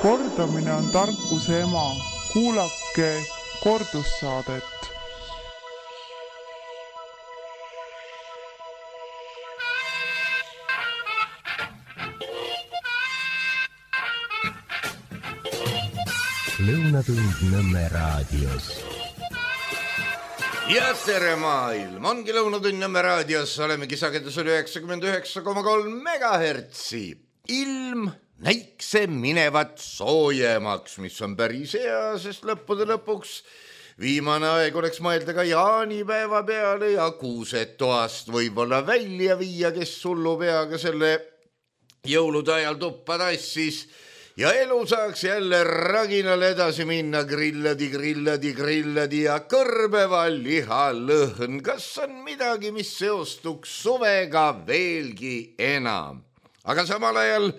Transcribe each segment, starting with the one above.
Kordamine on tarkuse ema. Kuulake kordussaadet. Lõunatund Nõmme raadios. Ja tere maailm, ongi Lõunatund Nõmme raadios, olemegi sagedus oli 99,3 megahertsi. Ilm näikse minevat soojemaks, mis on päris hea, sest lõppude lõpuks viimane aeg oleks mõelda ka jaanipäeva peale ja kuused toast võib-olla välja viia, kes hullu peaga selle jõulude ajal tuppa tassis. Ja elu saaks jälle raginal edasi minna, grilladi ja kõrbeva lihalõhn. Kas on midagi, mis seostuks suvega veelgi enam? Aga samal ajal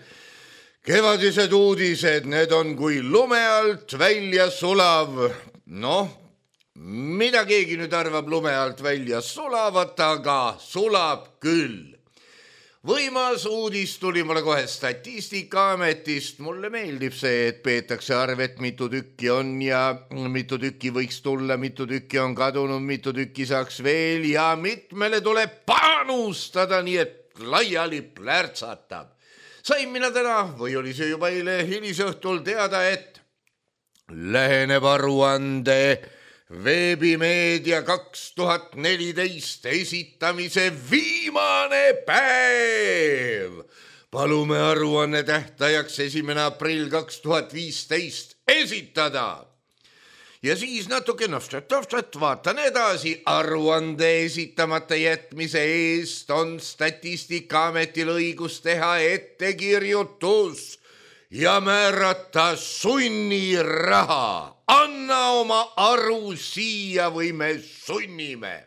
kevadised uudised, need on kui lume alt välja sulav. Noh, mida keegi nüüd arvab lume alt välja sulavat, aga sulab küll. Võimas uudis tuli mulle kohe Statistikaametist. Mulle meeldib see, et peetakse arvet, mitu tükki on ja mitu tükki võiks tulla, mitu tükki on kadunud, mitu tükki saaks veel ja mitmele tuleb panustada, nii et laiali plärtsatab. Sain mina täna, või oli see juba eile hilisõhtul teada, et läheneb aruande Veebimeedia 2014 esitamise viimane päev. Palume aruanne tähtajaks 1. aprill 2015 esitada. Ja siis natuke vaatan edasi. Aruande esitamata jätmise eest on Statistikaametil õigus teha ettekirjutus ja määrata sunniraha. Anna oma aru siia või me sunnime.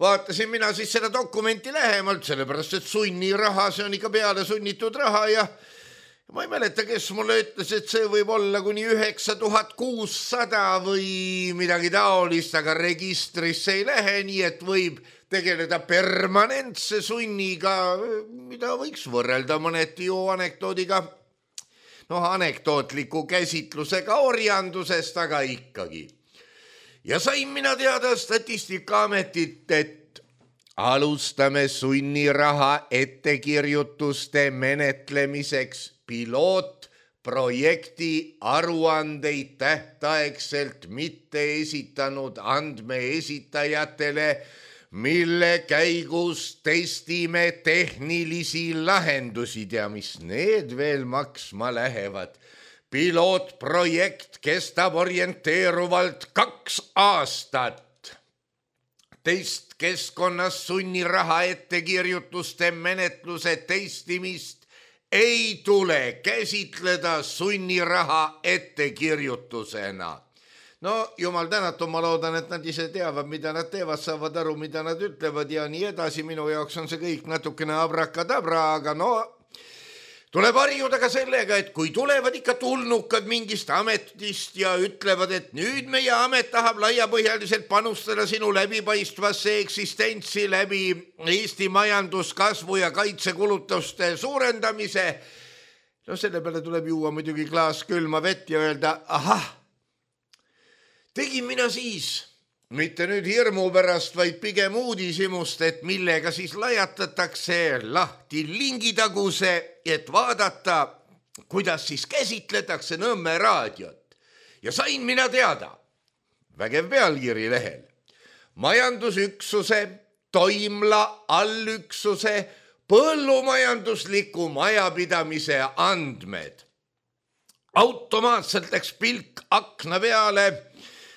Vaatasin mina siis seda dokumenti lähemalt, sellepärast et sunniraha, see on ikka peale sunnitud raha ja ma ei mäleta, kes mulle ütles, et see võib olla kuni 9600 või midagi taolist, aga registrisse ei lähe, nii et võib tegeleda permanentse sunniga, mida võiks võrrelda mõneti ju anekdoodiga. Anekdootliku käsitlusega orjandusest, aga ikkagi. Ja sain mina teada Statistikaametit, et alustame sunniraha ettekirjutuste menetlemiseks pilootprojekti aruandeid tähtaegselt mitte esitanud andmeesitajatele, mille käigus testime tehnilisi lahendusi ja mis need veel maksma lähevad. Pilootprojekt kestab orienteeruvalt 2 aastat. Testkeskkonnas sunniraha ettekirjutuste menetluse testimist ei tule käsitleda sunniraha ettekirjutusena. No jumal tänatud, ma loodan, et nad ise teavad, mida nad teevad, saavad aru, mida nad ütlevad ja nii edasi. Minu jaoks on see kõik natukene abrakadabra, aga tuleb harjuda ka sellega, et kui tulevad ikka tulnukad mingist ametist ja ütlevad, et nüüd meie amet tahab laiapõhjaliselt panustada sinu läbipaistvasse eksistentsi läbi Eesti majanduskasvu ja kaitsekulutuste suurendamise. Selle peale tuleb juua muidugi klaas külma vett ja öelda, ahah, tegin mina siis, mitte nüüd hirmu pärast, vaid pigem uudishimust, et millega siis lajatatakse lahti lingitaguse, et vaadata, kuidas siis käsitletakse Nõmme raadiot. Ja sain mina teada, vägev pealkiri lehel, majandusüksuse, toimla allüksuse, põllumajandusliku majapidamise andmed. Automaatselt läks pilk akna peale.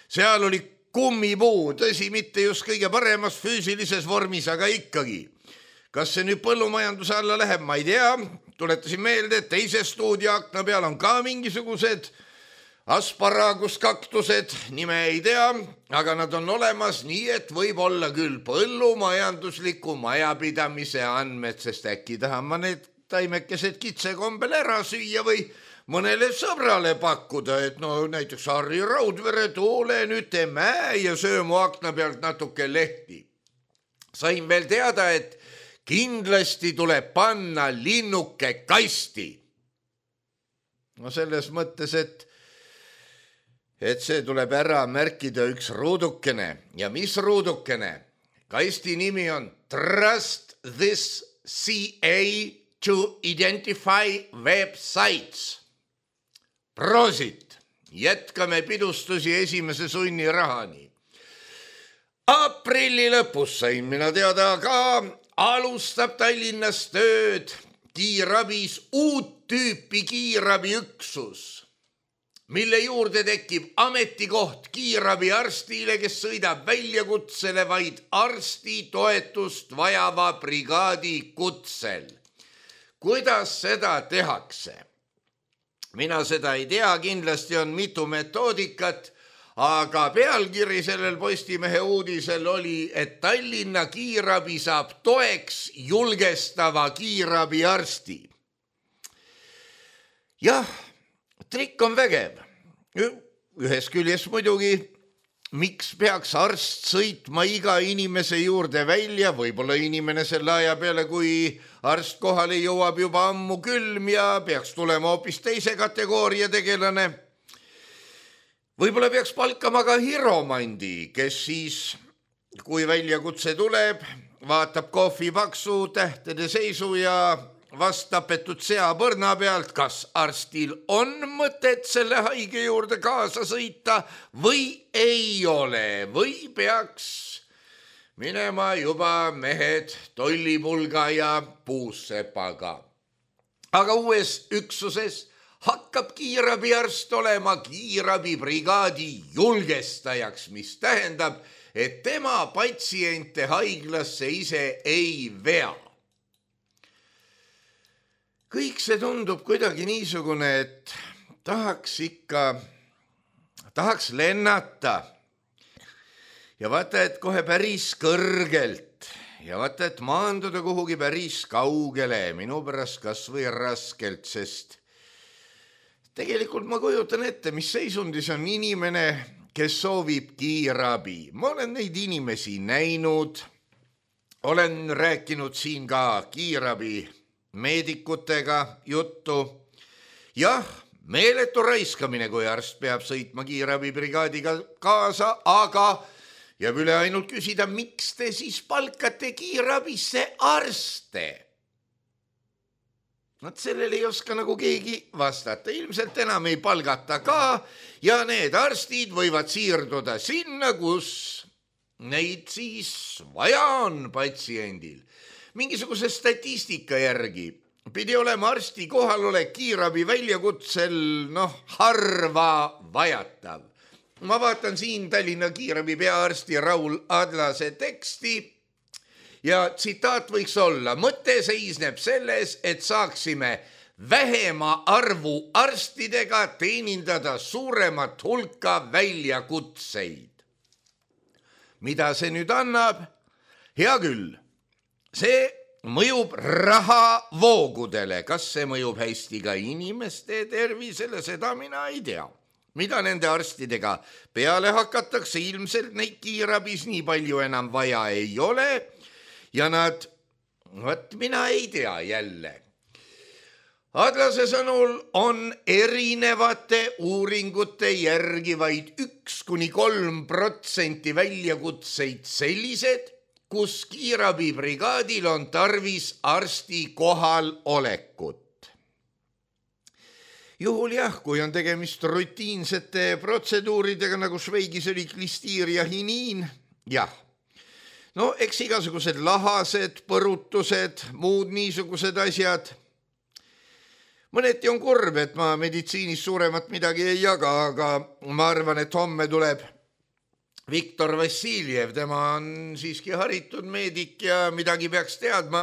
Seal oli kummipuu, tõsi, mitte just kõige paremas füüsilises vormis, aga ikkagi. Kas see nüüd põllumajanduse alla läheb, ma ei tea. Tuletasin meelde, et teise stuudio akna peal on ka mingisugused asparaguskaktused, nime ei tea, aga nad on olemas, nii et võib olla küll põllumajandusliku majapidamise andmed, sest äkki tahan ma need taimekesed kitsekombel ära süüa või mõnele sõbrale pakkuda, et näiteks Harri Raudvere, tule nüüd tee mäe ja söö mu akna pealt natuke lehti. Sain veel teada, et kindlasti tuleb panna linnuke kasti. No selles mõttes, et see tuleb ära märkida üks ruudukene. Ja mis ruudukene? Kasti nimi on Trust this CA to identify websites. Prosit! Jätkame pidustusi esimese sunnirahani. Aprilli lõpus sain mina teada ka, alustab Tallinnas tööd kiirabis uut tüüpi kiirabiüksus, mille juurde tekib ametikoht kiirabiarstile, kes sõidab väljakutsele vaid arsti toetust vajava brigaadi kutsel. Kuidas seda tehakse? Mina seda ei tea, kindlasti on mitu metoodikat, aga pealkiri sellel Postimehe uudisel oli, et Tallinna kiirabi saab toeks julgestava kiirabiarsti. Jah, trikk on vägev. Ühes küljes muidugi, miks peaks arst sõitma iga inimese juurde välja, võib-olla inimene selle aja peale, kui arst kohale jõuab juba ammu külm ja peaks tulema hoopis teise kategooria tegelane. Võib-olla peaks palkama ka hiromandi, kes siis, kui väljakutse tuleb, vaatab kohvi paksu tähtede seisu ja vastapetud seapõrna pealt, kas arstil on mõtet selle haige juurde kaasa sõita või ei ole, või peaks minema juba mehed tollipulga ja puussepaga. Aga uues üksuses hakkab kiirabiarst olema kiirabibrigaadi julgestajaks, mis tähendab, et tema patsiente haiglasse ise ei vea. Kõik see tundub kuidagi niisugune, et tahaks lennata ja vaata, et kohe päris kõrgelt ja vaata, et maanduda kuhugi päris kaugele, minu pärast kas või raskelt, sest tegelikult ma kujutan ette, mis seisundis on inimene, kes soovib kiirabi. Ma olen neid inimesi näinud, olen rääkinud siin ka kiirabi meedikutega juttu. Jah, meeletu raiskamine, kui arst peab sõitma kiirabibrigaadiga kaasa, aga jääb üle ainult küsida, miks te siis palkate kiirabisse arste? Nad sellele ei oska nagu keegi vastata. Ilmselt enam ei palgata ka ja need arstid võivad siirduda sinna, kus neid siis vaja on patsiendil. Mingisuguse statistika järgi pidi olema arsti kohalolek kiirabi väljakutsel, harva vajatav. Ma vaatan siin Tallinna kiirabi peaarsti Raul Adlase teksti ja tsitaat võiks olla: mõte seisneb selles, et saaksime vähema arvu arstidega teenindada suuremat hulka väljakutseid. Mida see nüüd annab? Hea küll. See mõjub rahavoogudele. Kas see mõjub hästi ka inimeste tervisele, seda mina ei tea. Mida nende arstidega peale hakatakse, ilmselt neid kiirabis nii palju enam vaja ei ole ja mina ei tea jälle. Adlase sõnul on erinevate uuringute järgi vaid 1–3% väljakutseid sellised, kus kiirabibrigaadil on tarvis arsti kohalolekut. Juhul jah, kui on tegemist rutiinsete protseduuridega, nagu Šveigis oli klistiiria hiniin, jah. Eks igasugused lahased, põrutused, muud niisugused asjad. Mõneti on kurb, et ma meditsiinis suuremat midagi ei jaga, aga ma arvan, et homme tuleb Viktor Vassiljev, tema on siiski haritud meedik ja midagi peaks teadma.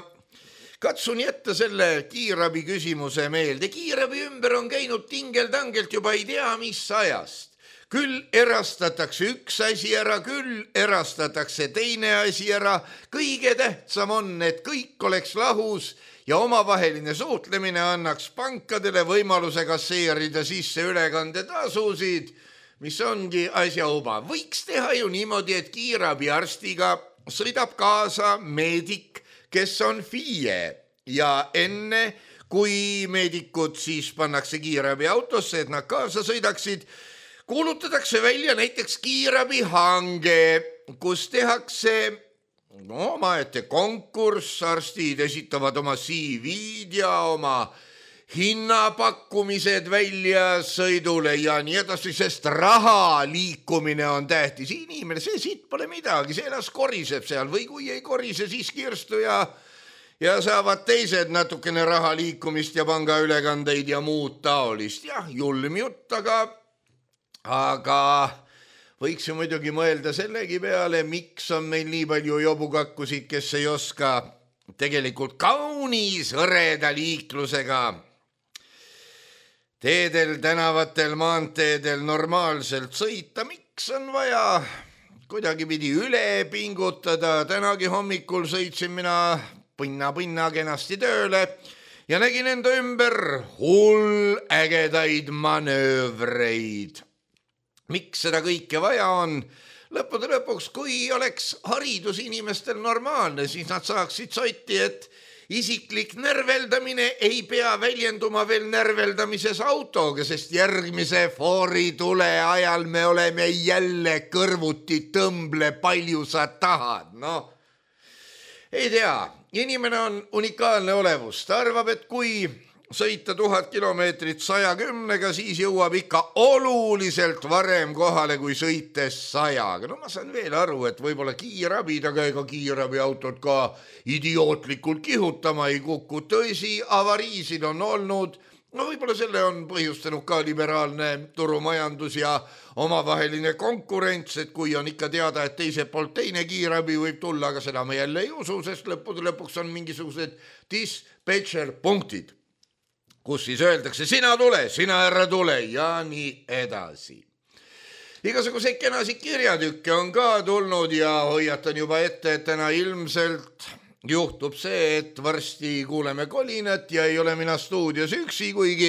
Katsun jätta selle kiirabi küsimuse meelde. Kiirabi ümber on käinud tingeltangelt juba ei tea mis ajast. Küll erastatakse üks asi ära, küll erastatakse teine asi ära. Kõige tähtsam on, et kõik oleks lahus ja omavaheline suhtlemine annaks pankadele võimaluse kasseerida sisse ülekandetasusid, mis ongi asja uba. Võiks teha ju niimoodi, et kiirabiarstiga sõidab kaasa meedik, kes on FIE ja enne, kui meedikud siis pannakse kiirabi autosse, et nad kaasa sõidaksid, kuulutatakse välja näiteks kiirabihange, kus tehakse omaette konkurss, arstid esitavad oma CV-d ja oma hinnapakkumised välja sõidule ja nii edasi, sest raha liikumine on tähtis. Inimene, see siit pole midagi, see las koriseb seal või kui ei korise, siis kirstu ja saavad teised natukene raha liikumist ja pangaülekandeid ja muud taolist. Jah, julm jutt, aga võiks ju muidugi mõelda sellegi peale, miks on meil nii palju jobukakkusid, kes ei oska tegelikult kaunis hõreda liiklusega teedel, tänavatel, maanteedel normaalselt sõita. Miks on vaja kuidagi pidi üle pingutada? Tänagi hommikul sõitsin mina pinna kenasti tööle ja nägin enda ümber hull ägedaid manöövreid. Miks seda kõike vaja on? Lõppude lõpuks, kui oleks haridus inimestel normaalne, siis nad saaksid sotti, et isiklik närveldamine ei pea väljenduma veel närveldamises autoga, sest järgmise fooritule ajal me oleme jälle kõrvuti tõmble, palju sa tahad. Ei tea, inimene on unikaalne olevus. Ta arvab, et kui sõita 1000 kilomeetrit 110-ga, siis jõuab ikka oluliselt varem kohale kui sõites 100-ga. Ma saan veel aru, et võib-olla kiirabid, aga ega kiirabiautod ka idiootlikult kihutama ei kuku. Tõsi, avariisid on olnud. Võib-olla selle on põhjustanud ka liberaalne turumajandus ja omavaheline konkurents, et kui on ikka teada, et teiselt poolt teine kiirabi võib tulla, aga seda me jälle ei usu, sest lõpuks on mingisugused dispatcher punktid, kus siis öeldakse, sina tule, sina ära tule ja nii edasi. Igasuguseid kenasid kirjatükke on ka tulnud ja hoiatan juba ette, et täna ilmselt juhtub see, et varsti kuuleme kolinat ja ei ole mina stuudios üksi, kuigi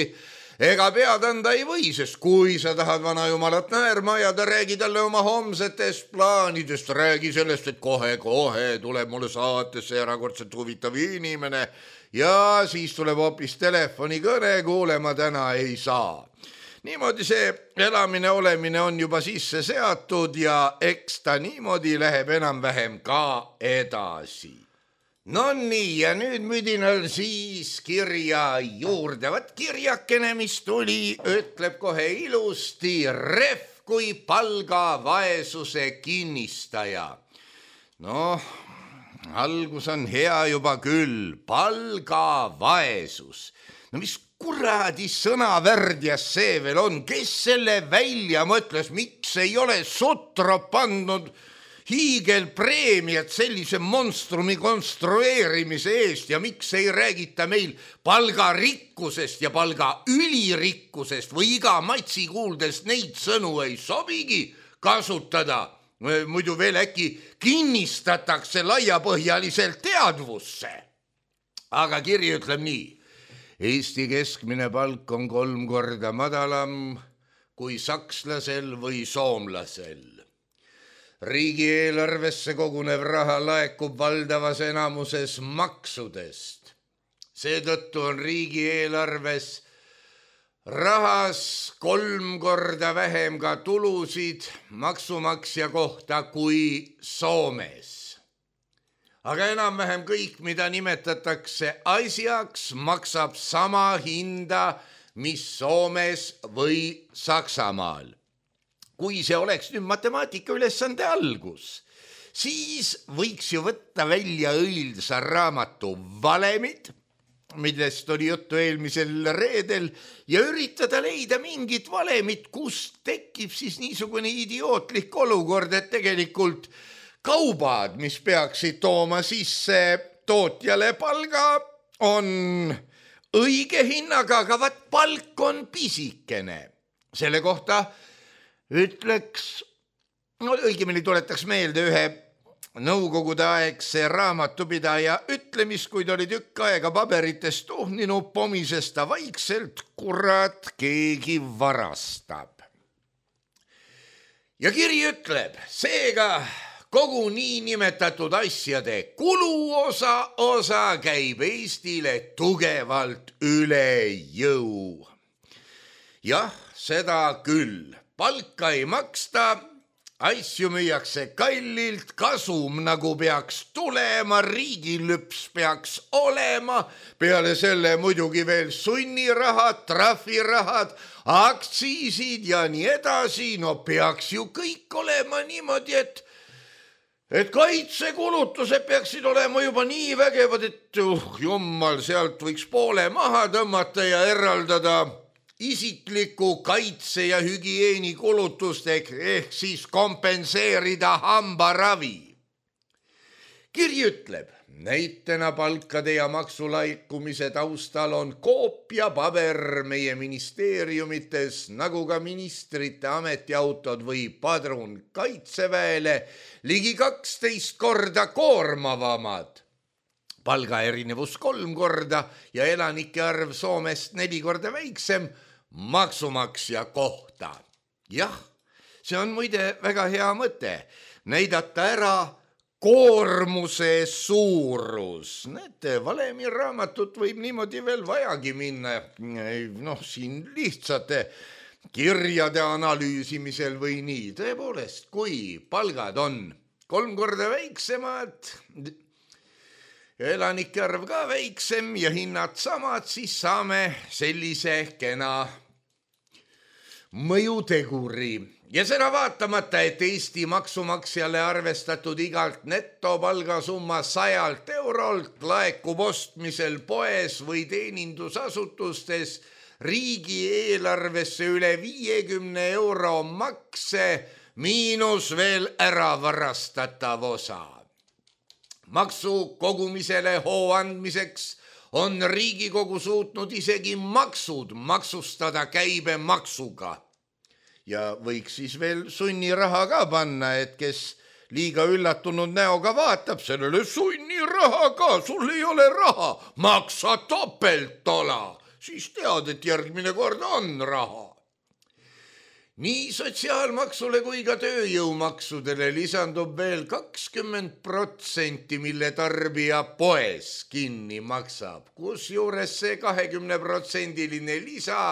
ega pead anda ei või, sest kui sa tahad vana jumalat naerma ja ta räägi talle oma homsetest plaanidest, räägi sellest, et kohe tuleb mulle saatesse erakordselt huvitav inimene ja siis tuleb hoopis telefonikõne, kuulema täna ei saa. Niimoodi see elamine, olemine on juba sisse seatud ja eks ta niimoodi läheb enam-vähem ka edasi. No nii, ja nüüd müdinal siis kirja juurde. Vat kirjakene, mis tuli, ütleb kohe ilusti, ref kui palgavaesuse kinnistaja. Algus on hea juba küll, palgavaesus. Mis kuradi sõnavärdjas see veel on? Kes selle välja mõtles? Miks ei ole Sutrop pandud hiigelpreemiat sellise monstrumi konstrueerimise eest ja miks ei räägita meil palgarikkusest ja palga ülirikkusest või iga matsi kuuldes neid sõnu ei sobigi kasutada? Muidu veel äkki kinnistatakse laiapõhjaliselt teadvusse. Aga kiri ütleb nii. Eesti keskmine palk on 3 korda madalam kui sakslasel või soomlasel. Riigieelarvesse kogunev raha laekub valdavas enamuses maksudest. Seetõttu on riigieelarves rahas 3 korda vähem ka tulusid maksumaksja kohta kui Soomes. Aga enam-vähem kõik, mida nimetatakse asjaks, maksab sama hinda, mis Soomes või Saksamaal. Kui see oleks nüüd matemaatika ülesande algus, siis võiks ju võtta välja õilsa raamatu valemid, millest oli juttu eelmisel reedel, ja üritada leida mingit valemit, kust tekib siis niisugune idiootlik olukord, et tegelikult kaubad, mis peaksid tooma sisse tootjale palga, on õige hinnaga, aga vat palk on pisikene. Selle kohta ütleks, õigemini tuletaks meelde ühe nõukogude aegse raamatupidaja ütlemist, kuid oli tükk aega paberitest tuhninud, pomises ta vaikselt, kurat, keegi varastab. Ja kiri ütleb, seega kogu niinimetatud asjade kuluosa käib Eestile tugevalt üle jõu. Jah, seda küll. Palka ei maksta, asju müüakse kallilt, kasum nagu peaks tulema, riigilüps peaks olema, peale selle muidugi veel sunnirahad, trahvirahad, aktsiisid ja nii edasi. No peaks ju kõik olema niimoodi, et kaitsekulutused peaksid olema juba nii vägevad, et jummal, sealt võiks poole maha tõmmata ja eraldada isikliku kaitse ja hügieeni kulutusteks ehk siis kompenseerida hambaravi. Kiri ütleb, näitena palkade ja maksulaikumise taustal on koopiapaber meie ministeeriumites, nagu ka ministrite ametiautod või padrun kaitseväele ligi 12 korda koormavamad. Palga erinevus 3 korda ja elanike arv Soomest 4 korda väiksem maksumaksja kohta. Jah, see on muide väga hea mõte, näidata ära koormuse suurus. Näete, valemiraamatut võib niimoodi veel vajagi minna. Siin lihtsate kirjade analüüsimisel või nii. Tõepoolest, kui palgad on 3 korda väiksemad, elanike arv ka väiksem ja hinnad samad, siis saame sellise kena mõjuteguri. Ja seda vaatamata, et Eesti maksumaksjale arvestatud igalt netopalgasumma 100 eurolt laekub ostmisel poes või teenindusasutustes riigieelarvesse üle 50 euro makse miinus veel ära varastatav osa. Maksu kogumisele hoo andmiseks on Riigikogu suutnud isegi maksud maksustada käibemaksuga. Ja võiks siis veel sunniraha ka panna, et kes liiga üllatunud näoga vaatab, sellele sunniraha ka, sul ei ole raha, maksa topeltola, siis tead, et järgmine kord on raha. Nii sotsiaalmaksule kui ka tööjõumaksudele lisandub veel 20%, mille tarbija poes kinni maksab, kusjuures see 20% lisa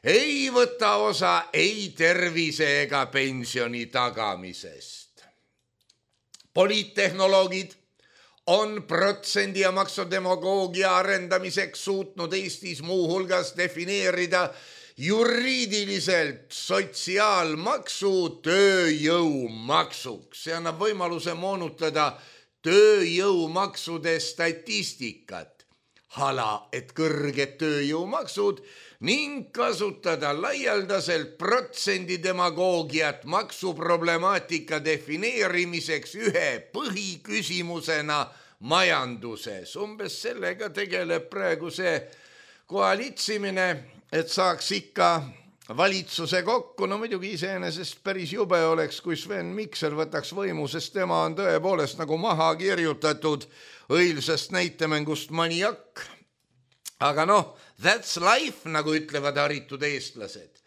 ei võta osa ei tervise ega pensioni tagamisest. Poliittehnoloogid on protsendi ja maksudemagoogia arendamiseks suutnud Eestis muu hulgas defineerida juriidiliselt sotsiaalmaksu tööjõumaksuks. See annab võimaluse moonutada tööjõumaksude statistikat, hala, et kõrged tööjõumaksud ning kasutada laialdaselt protsendi demagoogiat maksuproblemaatika defineerimiseks ühe põhiküsimusena majanduses. Umbes sellega tegeleb praegu see koalitsimine, et saaks ikka valitsuse kokku. No muidugi iseenesest päris jube oleks, kui Sven Mikser võtaks võimu, sest tema on tõepoolest nagu maha kirjutatud õilsast näitemängust Maniak. Aga that's life, nagu ütlevad haritud eestlased.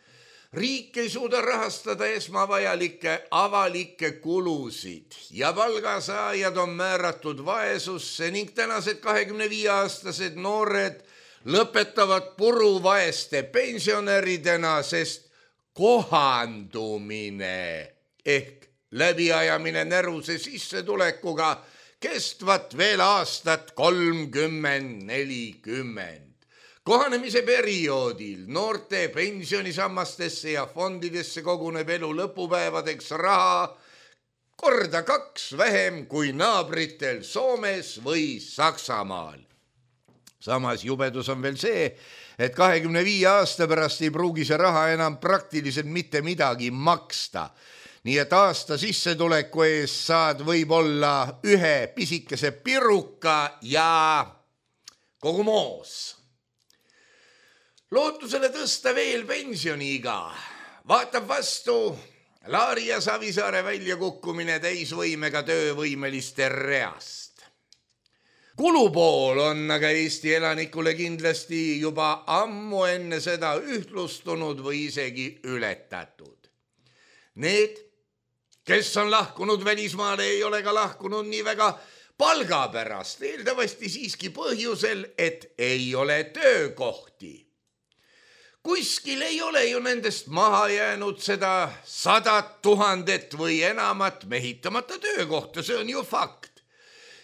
Riik ei suuda rahastada esmavajalikke avalikke kulusid ja palgasaajad on määratud vaesusse ning tänased 25-aastased noored lõpetavad puruvaeste pensionäridena, sest kohandumine ehk läbiajamine näruse sissetulekuga kestvat veel aastat 30-40. Kohanemise perioodil noorte pensionisammastesse ja fondidesse koguneb elu lõpupäevadeks raha korda 2 vähem kui naabritel Soomes või Saksamaal. Samas jubedus on veel see, et 25 aasta pärast ei pruugi see raha enam praktiliselt mitte midagi maksta. Nii et aasta sissetuleku ees saad võib-olla ühe pisikese piruka ja kogu moos. Lootusele tõsta veel pensioniiga vaatab vastu Laari ja Savisaare väljakukkumine täisvõimega töövõimeliste reast. Kulupool on aga Eesti elanikule kindlasti juba ammu enne seda ühtlustunud või isegi ületatud. Need, kes on lahkunud välismaale, ei ole ka lahkunud nii väga palga pärast, eeldavasti siiski põhjusel, et ei ole töökohti. Kuskil ei ole ju nendest maha jäänud seda 100 000 või enamat mehitamata töökohta, see on ju fakt.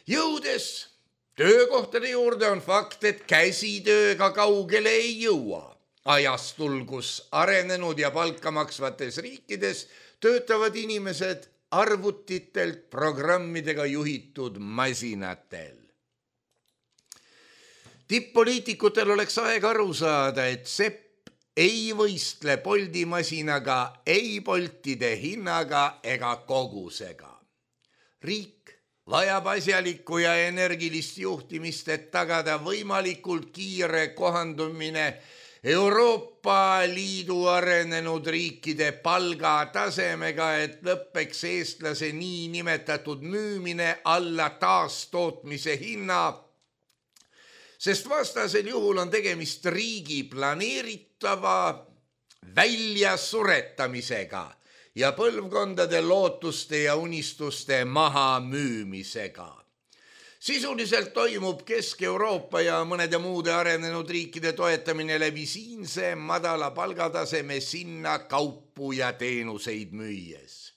Jõudes töökohtade juurde on fakt, et käsitööga kaugele ei jõua. Ajastul, kus arenenud ja palka maksvates riikides töötavad inimesed arvutitelt programmidega juhitud masinatel. Tipp-poliitikutel oleks aeg aru saada, et Sepp ei võistle Bolti masinaga, ei Boltide hinnaga ega kogusega. Riik vajab asjalikku ja energilist juhtimist, et tagada võimalikult kiire kohandumine Euroopa Liidu arenenud riikide palgatasemega, et lõppeks eestlase nii nimetatud müümine alla taastootmise hinna, sest vastasel juhul on tegemist riigi planeeritava väljasuretamisega ja põlvkondade lootuste ja unistuste maha müümisega. Sisuliselt toimub Kesk-Euroopa ja mõnede muude arenenud riikide toetamine läbi siinse madala palgataseme sinna kaupu ja teenuseid müües.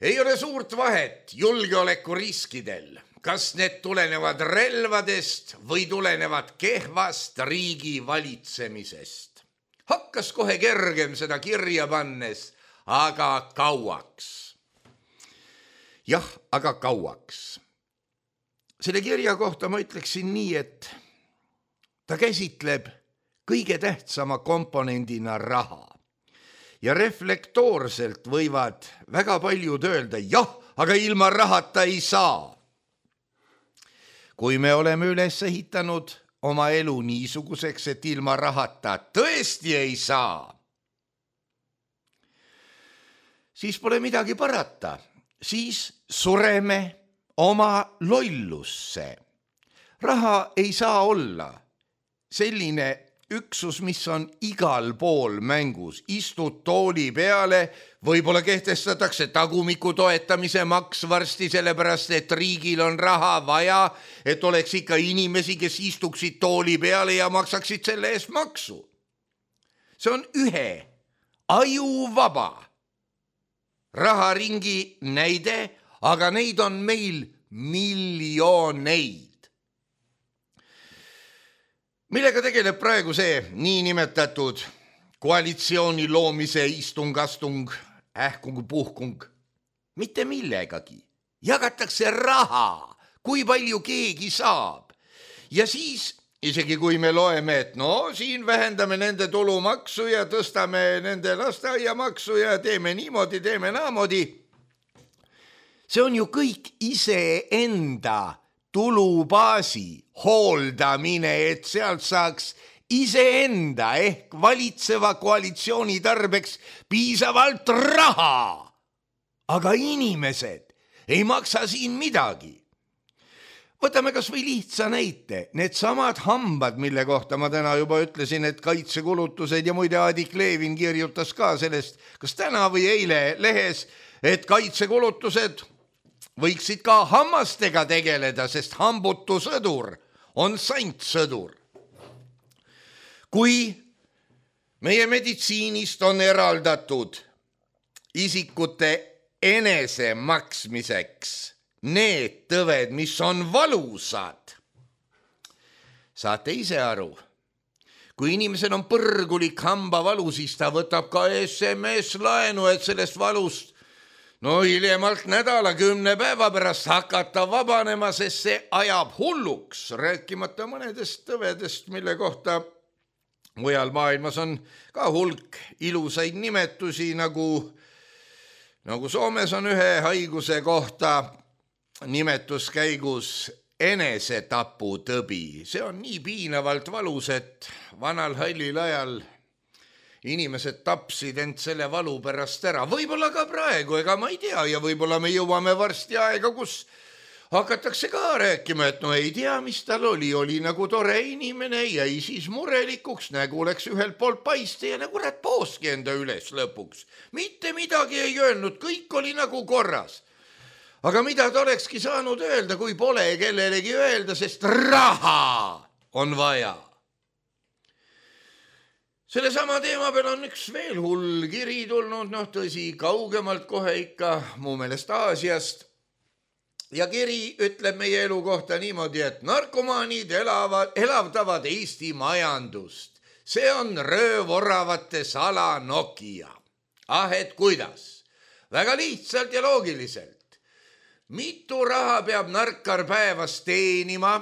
Ei ole suurt vahet julgeolekuriskidel, kas need tulenevad relvadest või tulenevad kehvast riigi valitsemisest. Hakkas kohe kergem seda kirja pannes, aga kauaks. Jah, aga kauaks. Selle kirja kohta ma ütleksin nii, et ta käsitleb kõige tähtsama komponendina raha. Ja reflektoorselt võivad väga paljud öelda, jah, aga ilma rahata ei saa. Kui me oleme üles ehitanud oma elu niisuguseks, et ilma rahata tõesti ei saa, siis pole midagi parata. Siis sureme oma lollusse. Raha ei saa olla selline üksus, mis on igal pool mängus. Istud tooli peale, võib-olla kehtestatakse tagumiku toetamise maks varsti, sellepärast et riigil on raha vaja, et oleks ikka inimesi, kes istuksid tooli peale ja maksaksid selle eest maksu. See on ühe ajuvaba raharingi näide, aga neid on meil miljoneid. Millega tegeleb praegu see niinimetatud koalitsiooni loomise istungastung, puhkung? Mitte millegagi. Jagatakse raha, kui palju keegi saab. Ja siis isegi kui me loeme, et siin vähendame nende tulumaksu ja tõstame nende lasteaiamaksu ja teeme niimoodi, teeme naamoodi. See on ju kõik iseenda tulubaasi hooldamine, et sealt saaks iseenda ehk valitseva koalitsiooni tarbeks piisavalt raha. Aga inimesed ei maksa siin midagi. Võtame kas või lihtsa näite, need samad hambad, mille kohta ma täna juba ütlesin, et kaitsekulutused ja muide Adik Levin kirjutas ka sellest, kas täna või eile lehes, et kaitsekulutused võiksid ka hammastega tegeleda, sest hambutu sõdur on santsõdur. Kui meie meditsiinist on eraldatud isikute enese maksmiseks need tõved, mis on valusad, saate ise aru. Kui inimesel on põrgulik hambavalu, siis ta võtab ka SMS-laenu, et sellest valust hiljemalt nädala 10 päeva pärast hakata vabanema, sest see ajab hulluks, rääkimata mõnedest tõvedest, mille kohta mujal maailmas on ka hulk ilusaid nimetusi, nagu Soomes on ühe haiguse kohta nimetuskäigus enesetaputõbi. See on nii piinavalt valus, et vanal hallil ajal inimesed tapsid end selle valu pärast ära. Võib-olla ka praegu, ega ma ei tea, ja võib-olla me jõuame varsti aega, kus hakatakse ka rääkima, et no ei tea, mis tal oli nagu tore inimene, jäi siis murelikuks, nägu läks ühelt poolt paiste ja nagu kurat pooski enda üles lõpuks. Mitte midagi ei öelnud, kõik oli nagu korras. Aga mida ta olekski saanud öelda, kui pole kellelegi öelda, sest raha on vaja. Selle sama teema peal on üks veel hull kiri tulnud, tõsi, kaugemalt kohe ikka, mu meelest Aasiast. Ja kiri ütleb meie elu kohta niimoodi, et narkomaanid elavdavad Eesti majandust. See on röövoravate sala Nokia. Et kuidas? Väga lihtsalt ja loogiliselt. Mitu raha peab narkar päevas teenima,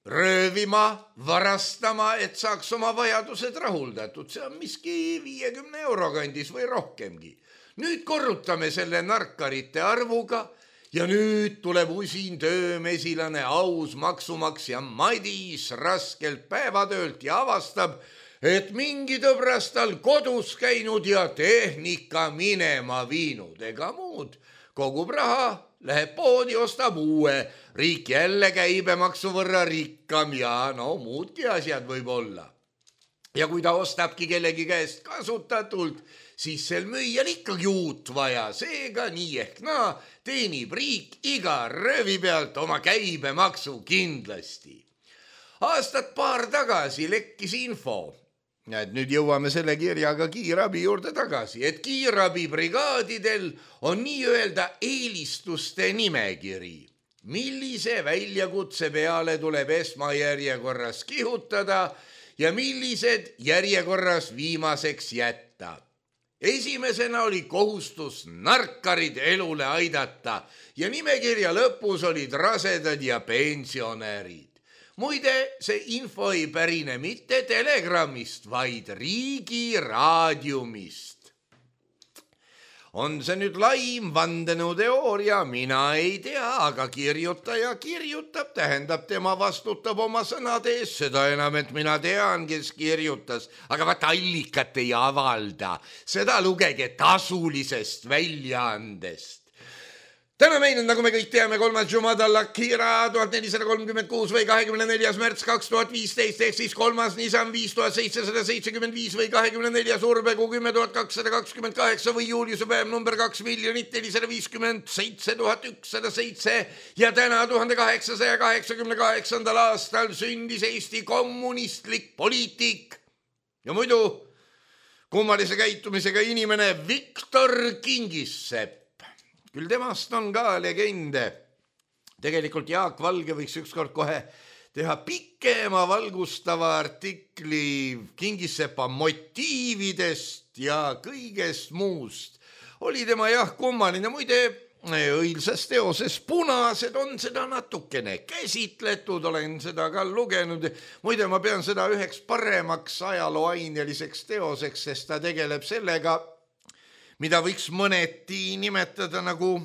röövima, varastama, et saaks oma vajadused rahuldatud. See on miski 50 euro kandis või rohkemgi. Nüüd korrutame selle narkarite arvuga ja nüüd tuleb usin töömesilane, aus maksumaksja Madis raskelt päevatöölt ja avastab, et mingi tõbras tal kodus käinud ja tehnika minema viinud ega muud. Kogub raha, läheb poodi, ostab uue, riik jälle käibemaksu võrra rikkam ja muudki asjad võib olla. Ja kui ta ostabki kellegi käest kasutatult, siis sel müüjal ikkagi uut vaja, seega nii ehk teenib riik iga röövi pealt oma käibemaksu kindlasti. Aastat paar tagasi lekkis info, et nüüd jõuame selle kirjaga kiirabi juurde tagasi, et kiirabibrigaadidel on nii-öelda eelistuste nimekiri. Millise väljakutse peale tuleb esmajärjekorras kihutada ja millised järjekorras viimaseks jätta. Esimesena oli kohustus narkarid elule aidata ja nimekirja lõpus olid rasedad ja pensionärid. Muide, see info ei pärine mitte Telegrammist, vaid Riigi Raadiumist. On see nüüd laim vandenõuteooria, mina ei tea, aga kirjutaja kirjutab, tähendab tema vastutab oma sõnade ees, seda enam, et mina tean, kes kirjutas, aga vaata allikat ei avalda, seda lugege tasulisest väljaandest. Täna meil on, nagu me kõik teame, 3. Jumadal Akira 1436 või 24. märts 2015 ehk siis 3. Nisan 5775 või 24. Urbekuu 10228 või Juliuse päev number 2 457 107 ja täna 1888. aastal sündis Eesti kommunistlik poliitik ja muidu kummalise käitumisega inimene Viktor Kingissepp. Küll temast on ka legende. Tegelikult Jaak Valge võiks ükskord kohe teha pikema valgustava artikli Kingissepa motiividest ja kõigest muust. Oli tema kummaline, muide õilsas teoses Punased on seda natukene käsitletud, olen seda ka lugenud. Muide, ma pean seda üheks paremaks ajalooaineliseks teoseks, sest ta tegeleb sellega, mida võiks mõneti nimetada nagu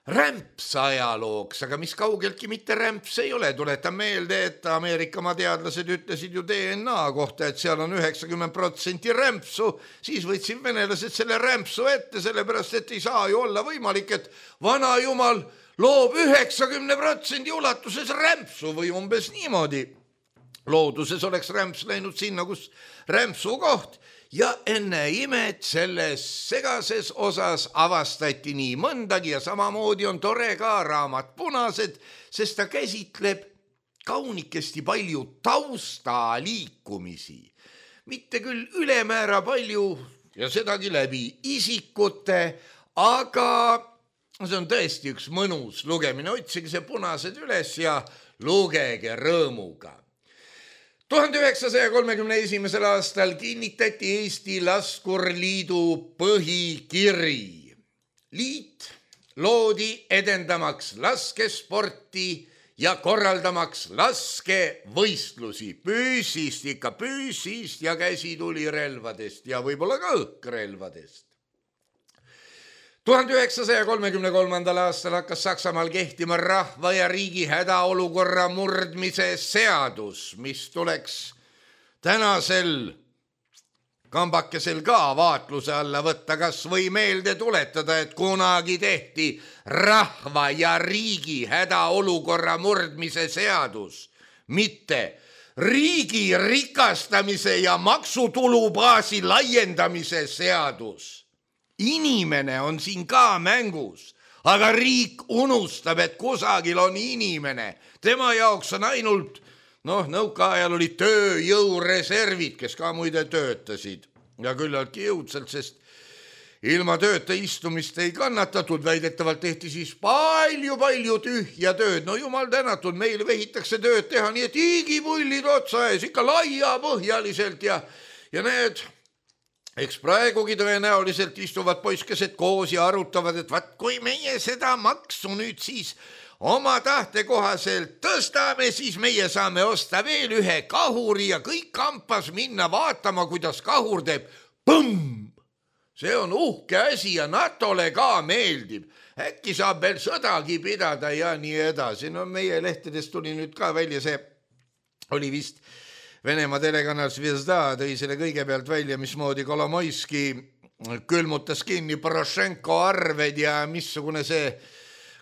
rämpsajalooks, aga mis kaugeltki mitte rämps ei ole. Tuletan meelde, et Ameerikamaa teadlased ütlesid ju DNA kohta, et seal on 90% rämpsu, siis võtsid venelased selle rämpsu ette, sellepärast et ei saa ju olla võimalik, et vana jumal loob 90% ulatuses rämpsu või umbes niimoodi. Looduses oleks rämps läinud sinna, kus rämpsu koht. Ja enne imet selles segases osas avastati nii mõndagi ja samamoodi on tore ka raamat Punased, sest ta käsitleb kaunikesti palju taustaliikumisi. Mitte küll ülemäära palju ja sedagi läbi isikute, aga see on tõesti üks mõnus lugemine. Otsige see Punased üles ja lugege rõõmuga. 1931. aastal kinnitati Eesti Laskurliidu põhikiri. Liit loodi edendamaks laskesporti ja korraldamaks laskevõistlusi. Püüsist ja käsitulirelvadest ja võib-olla ka õhkrelvadest. 1933. aastal hakkas Saksamaal kehtima rahva ja riigi hädaolukorra murdmise seadus, mis tuleks tänasel kambakesel ka vaatluse alla võtta, kas või meelde tuletada, et kunagi tehti rahva ja riigi hädaolukorra murdmise seadus, mitte riigi rikastamise ja maksutulubaasi laiendamise seadus. Inimene on siin ka mängus, aga riik unustab, et kusagil on inimene. Tema jaoks on ainult nõukaajal olid tööjõureservid, kes ka muide töötasid ja küllaltki jõudsalt, sest ilma tööta istumist ei kannatatud, väidetavalt tehti siis palju tühja tööd. No jumal tänatud, meil vehitakse tööd teha nii, et hiigipullid otsa ees ikka laiapõhjaliselt ja need, eks praegugi tõenäoliselt istuvad poiskesed koos ja arutavad, et vaat kui meie seda maksu nüüd siis oma tahte kohaselt tõstame, siis meie saame osta veel ühe kahuri ja kõik kampas minna vaatama, kuidas kahur teeb põmm. See on uhke asi ja NATO-le ka meeldib. Äkki saab veel sõdagi pidada ja nii edasi. No meie lehtedest tuli nüüd ka välja, see oli vist Venemaa telekanal Zvezda, tõi selle kõigepealt välja, mismoodi Kolomoiski külmutas kinni Porošenko arved ja missugune see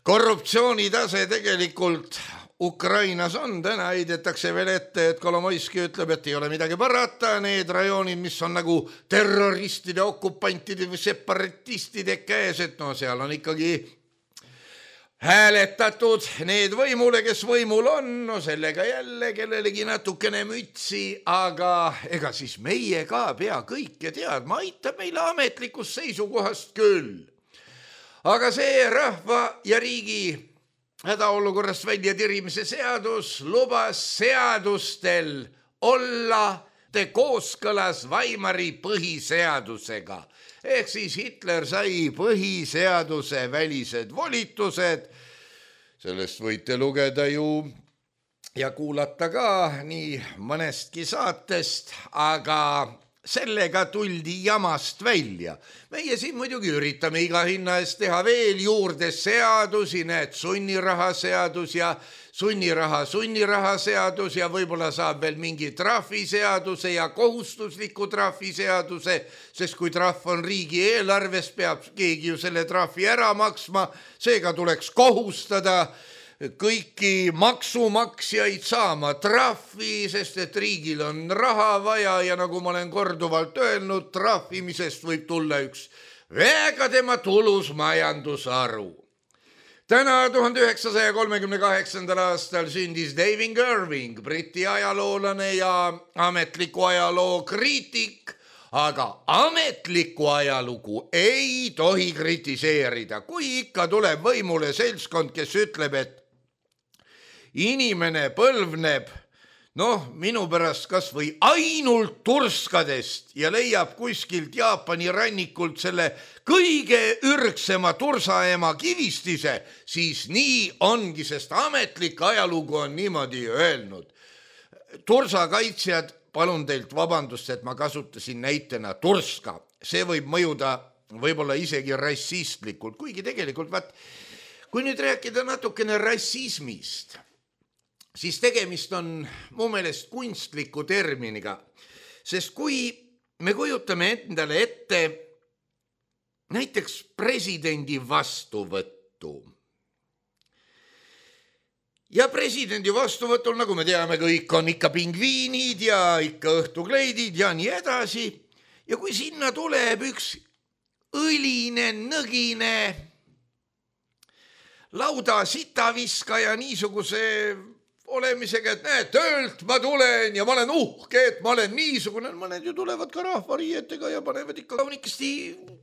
korruptsioonitase tegelikult Ukrainas on. Täna heidetakse veel ette, et Kolomoiski ütleb, et ei ole midagi parata, need rajoonid, mis on nagu terroristide, okupantide või separatistide käes, et seal on ikkagi hääletatud need võimule, kes võimul on, sellega jälle kellelegi natukene mütsi, aga ega siis meie ka pea kõike teadma, aitab meile ametlikust seisukohast küll. Aga see rahva ja riigi hädaolukorrast välja tirimise seadus lubas seadustel olla kooskõlas Weimari põhiseadusega. Ehk siis Hitler sai põhiseaduse välised volitused. Sellest võite lugeda ju ja kuulata ka nii mõnestki saatest, aga sellega tuldi jamast välja. Meie siin muidugi üritame iga hinna eest teha veel juurde seadusi, need sunniraha seadus ja sunniraha seadus ja võib-olla saab veel mingi trahviseaduse ja kohustusliku trahviseaduse, sest kui trahv on riigi eelarves, peab keegi ju selle trahvi ära maksma, seega tuleks kohustada kõiki maksumaksjaid saama trahvi, sest et riigil on raha vaja ja nagu ma olen korduvalt öelnud, trahvimisest võib tulla üks väga tema tulus majandusharu. Täna 1938. aastal sündis David Irving, Briti ajaloolane ja ametliku ajaloo kriitik, aga ametlikku ajalugu ei tohi kritiseerida. Kui ikka tuleb võimule seltskond, kes ütleb, et inimene põlvneb, minu pärast kas või ainult turskadest ja leiab kuskilt Jaapani rannikult selle kõige ürgsema tursaema kivistise, siis nii ongi, sest ametlik ajalugu on niimoodi öelnud. Tursakaitsjad, palun teilt vabandust, et ma kasutasin näitena turska. See võib mõjuda võib-olla isegi rassistlikult, kuigi tegelikult kui nüüd rääkida natukene rassismist, siis tegemist on mu meelest kunstliku terminiga, sest kui me kujutame endale ette näiteks presidendi vastuvõttu ja presidendi vastuvõtul, nagu me teame, kõik on ikka pingviinid ja ikka õhtukleidid ja nii edasi, ja kui sinna tuleb üks õline, nõgine lauda sitaviskaja niisuguse olemisega, et näed, töölt ma tulen ja ma olen uhke, et ma olen niisugune. Mõned ju tulevad ka rahvariietega ja panevad ikka kaunikesti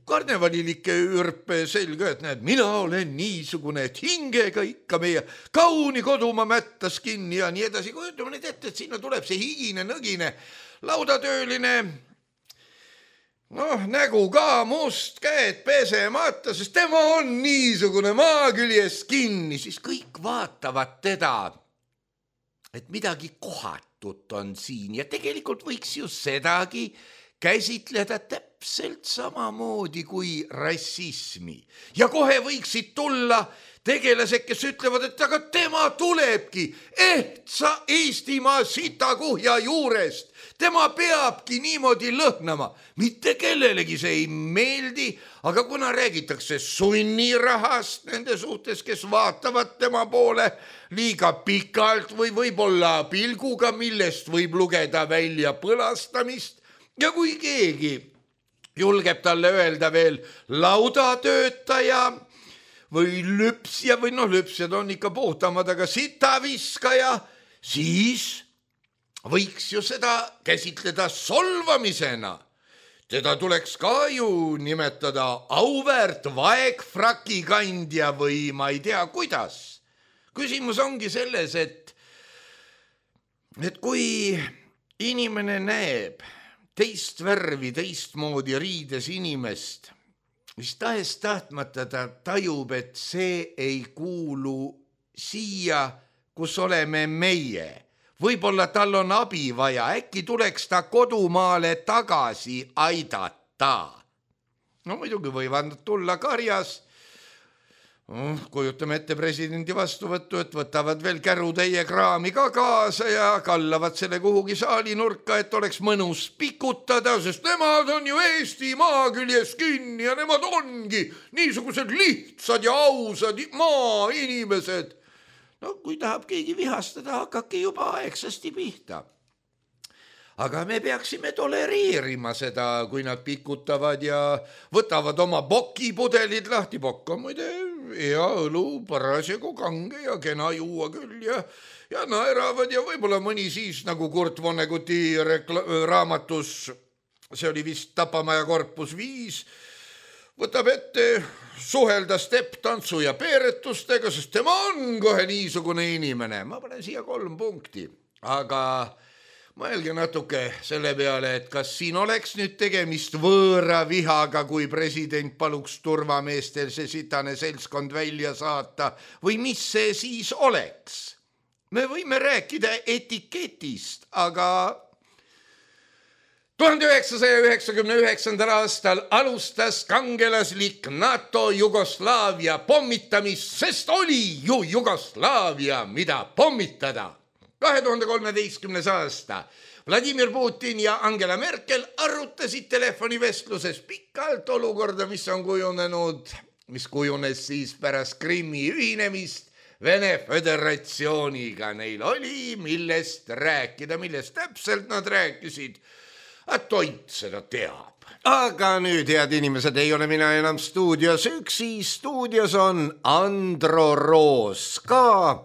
karnevalilikke ürpe selga, et näed, mina olen niisugune, et hingega ikka meie kauni kodumaa mättas kinni ja nii edasi. Kujutame nüüd ette, et sinna tuleb see higine, nõgine laudatööline, nägu ka must, käed pesemata, sest tema on niisugune maa küljes kinni, siis kõik vaatavad teda, et midagi kohatut on siin ja tegelikult võiks ju sedagi käsitleda täpselt samamoodi kui rassismi. Ja kohe võiksid tulla tegelased, kes ütlevad, et aga tema tulebki ehtsa Eestimaa sitakuhja juurest. Tema peabki niimoodi lõhnama. Mitte kellelegi see ei meeldi, aga kuna räägitakse sunnirahast nende suhtes, kes vaatavad tema poole liiga pikalt või võib-olla pilguga, millest võib lugeda välja põlastamist ja kui keegi julgeb talle öelda veel laudatöötaja või lüpsja või lüpsjad on ikka puhtamad, aga sitaviskaja, siis võiks ju seda käsitleda solvamisena. Teda tuleks ka ju nimetada auväärt vaegfrakikandja või ma ei tea kuidas. Küsimus ongi selles, et kui inimene näeb teist värvi, teistmoodi riides inimest, mis tahes tahtmata ta tajub, et see ei kuulu siia, kus oleme meie. Võib-olla tal on abi vaja, äkki tuleks ta kodumaale tagasi aidata. No muidugi võivad tulla karjas. Kujutame ette presidendi vastuvõttu, et võtavad veel kärutäie kraami ka kaasa ja kallavad selle kuhugi saali nurka, et oleks mõnus pikutada, sest nemad on ju Eesti maaküljes kinni ja nemad ongi niisugused lihtsad ja ausad maainimesed. No kui tahab keegi vihastada, hakake juba aegsasti pihta. Aga me peaksime tolereerima seda, kui nad pikutavad ja võtavad oma bokipudelid lahti. Bokk on muide hea õlu, parasjagu kange ja kena juua küll ja naeravad ja võib-olla mõni siis nagu Kurt Vonneguti raamatus, see oli vist Tapamaja korpus 5, võtab ette suhelda stepp-tantsu ja peeretustega, sest tema on kohe niisugune inimene. Ma panen siia 3 punkti, aga mõelge natuke selle peale, et kas siin oleks nüüd tegemist võõra vihaga, kui president paluks turvameestel see sitane seltskond välja saata või mis see siis oleks? Me võime rääkida etiketist, aga 1999. aastal alustas kangelaslik NATO Jugoslaavia pommitamist, sest oli ju Jugoslaavia, mida pommitada. 2013. aasta Vladimir Putin ja Angela Merkel arutasid telefonivestluses pikalt olukorda, mis kujunes siis pärast Krimmi ühinemist Vene Föderatsiooniga. Neil oli millest rääkida, millest täpselt nad rääkisid. Toit seda teab. Aga nüüd, head inimesed, ei ole mina enam stuudios üksi. Stuudios on Andro Roos ka.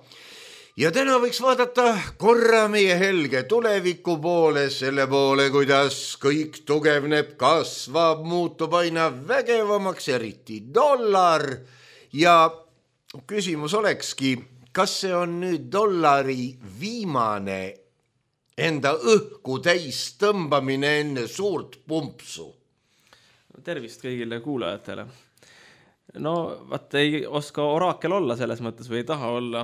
Ja täna võiks vaadata korra meie helge tuleviku poole, selle poole, kuidas kõik tugevneb, kasvab, muutub aina vägevamaks, eriti dollar. Ja küsimus olekski, kas see on nüüd dollari viimane enda õhku täis tõmbamine enne suurt pumpsu? Tervist kõigile kuulajatele. No, vaat ei oska oraakel olla selles mõttes või ei taha olla,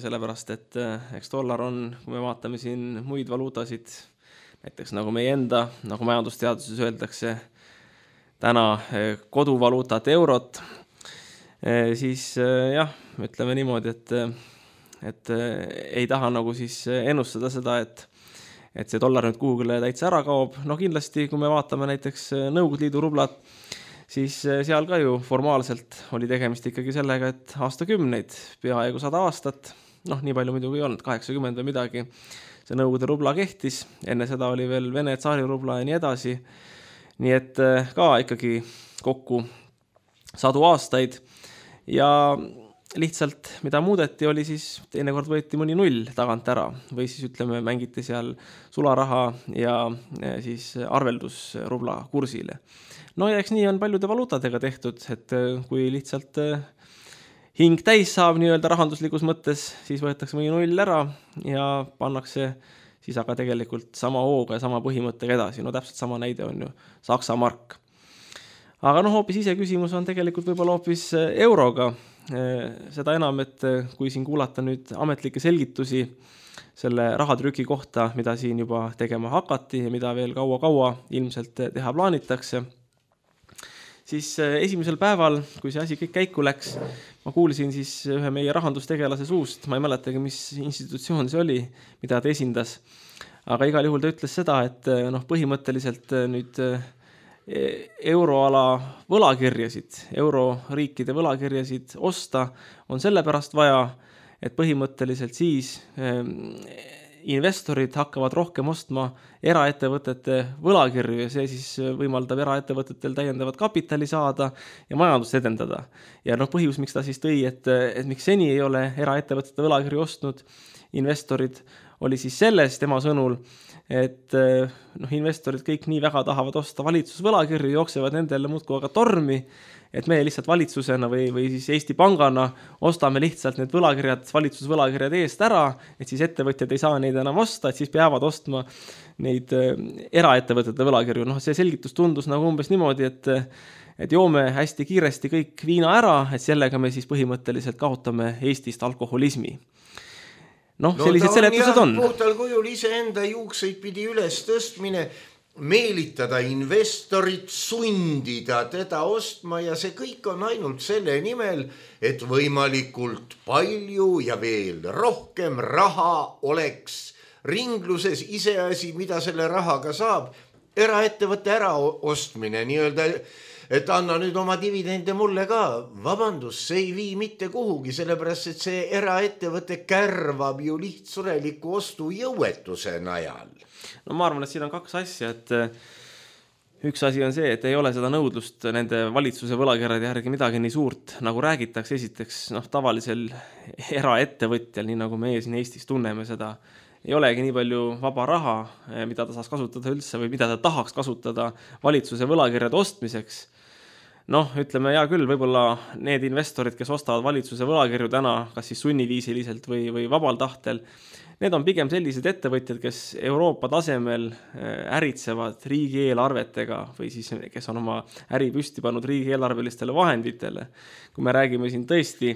sellepärast, et eks dollar on, kui me vaatame siin muid valuutasid, näiteks nagu meie enda, nagu majandusteaduses öeldakse, täna koduvaluutat eurot, siis jah, ütleme niimoodi, et ei taha nagu siis ennustada seda, et see dollar nüüd kuhugile täitsa ära kaob. No kindlasti, kui me vaatame näiteks Nõukogude Liidu rublat, siis seal ka ju formaalselt oli tegemist ikkagi sellega, et aastakümneid, peaaegu 100 aastat, nii palju muidugi ei olnud, 80 või midagi, see Nõukogude rubla kehtis, enne seda oli veel Vene tsaari rubla ja nii edasi, nii et ka ikkagi kokku 100 aastaid ja lihtsalt, mida muudeti, oli siis teinekord võeti mõni null tagant ära või siis ütleme, mängiti seal sularaha ja siis arveldus rubla kursile. No ja eks nii on paljude valuutadega tehtud, et kui lihtsalt hing täis saab nii-öelda rahanduslikus mõttes, siis võetakse mõni null ära ja pannakse siis aga tegelikult sama hooga ja sama põhimõttega edasi. No täpselt sama näide on ju Saksa mark. Aga hoopis ise küsimus on tegelikult võib-olla hoopis euroga. Seda enam, et kui siin kuulata nüüd ametlikke selgitusi selle rahatrüki kohta, mida siin juba tegema hakati ja mida veel kaua ilmselt teha plaanitakse, siis esimesel päeval, kui see asi kõik käiku läks, ma kuulsin siis ühe meie rahandustegelase suust, ma ei mäletagi, mis institutsioon see oli, mida ta esindas, aga igal juhul ta ütles seda, et põhimõtteliselt nüüd euroala võlakirjasid, euroriikide võlakirjasid osta on sellepärast vaja, et põhimõtteliselt siis investorid hakkavad rohkem ostma eraettevõtete võlakirju ja see siis võimaldab eraettevõtetel täiendavat kapitali saada ja majandust edendada. Ja põhjus, miks ta siis tõi, et miks seni ei ole eraettevõtete võlakirju ostnud investorid, oli siis selles tema sõnul, et investorid kõik nii väga tahavad osta valitsusvõlakirju, jooksevad nendele muudkui aga tormi, et me lihtsalt valitsusena või siis Eesti Pangana ostame lihtsalt need võlakirjad, valitsusvõlakirjad eest ära, et siis ettevõtjad ei saa neid enam osta, et siis peavad ostma neid eraettevõtete võlakirju. See selgitus tundus nagu umbes niimoodi, et joome hästi kiiresti kõik viina ära, et sellega me siis põhimõtteliselt kaotame Eestist alkoholismi. Sellised seletused on. Puhtal kujul iseenda juukseid pidi üles tõstmine, meelitada investorit, sundida teda ostma ja see kõik on ainult selle nimel, et võimalikult palju ja veel rohkem raha oleks ringluses, iseasi, mida selle rahaga saab, eraettevõtte äraostmine, nii-öelda, et anna nüüd oma dividende mulle ka. Vabandus, see ei vii mitte kuhugi, sellepärast, et see eraettevõte kärvab ju lihtsureliku ostujõuetuse najal. Ma arvan, et siin on kaks asja, et üks asi on see, et ei ole seda nõudlust nende valitsuse võlakirjade järgi midagi nii suurt, nagu räägitakse. Esiteks, tavalisel eraettevõtjal, nii nagu meie siin Eestis tunneme seda, ei olegi nii palju vaba raha, mida ta saaks kasutada üldse või mida ta tahaks kasutada valitsuse võlakirjade ostmiseks. Ütleme, hea küll, võib-olla need investorid, kes ostavad valitsuse võlakirju täna, kas siis sunniviisiliselt või vabal tahtel, need on pigem sellised ettevõtjad, kes Euroopa tasemel äritsevad riigieelarvetega või siis kes on oma äri püsti pannud riigieelarvelistele vahenditele. Kui me räägime siin tõesti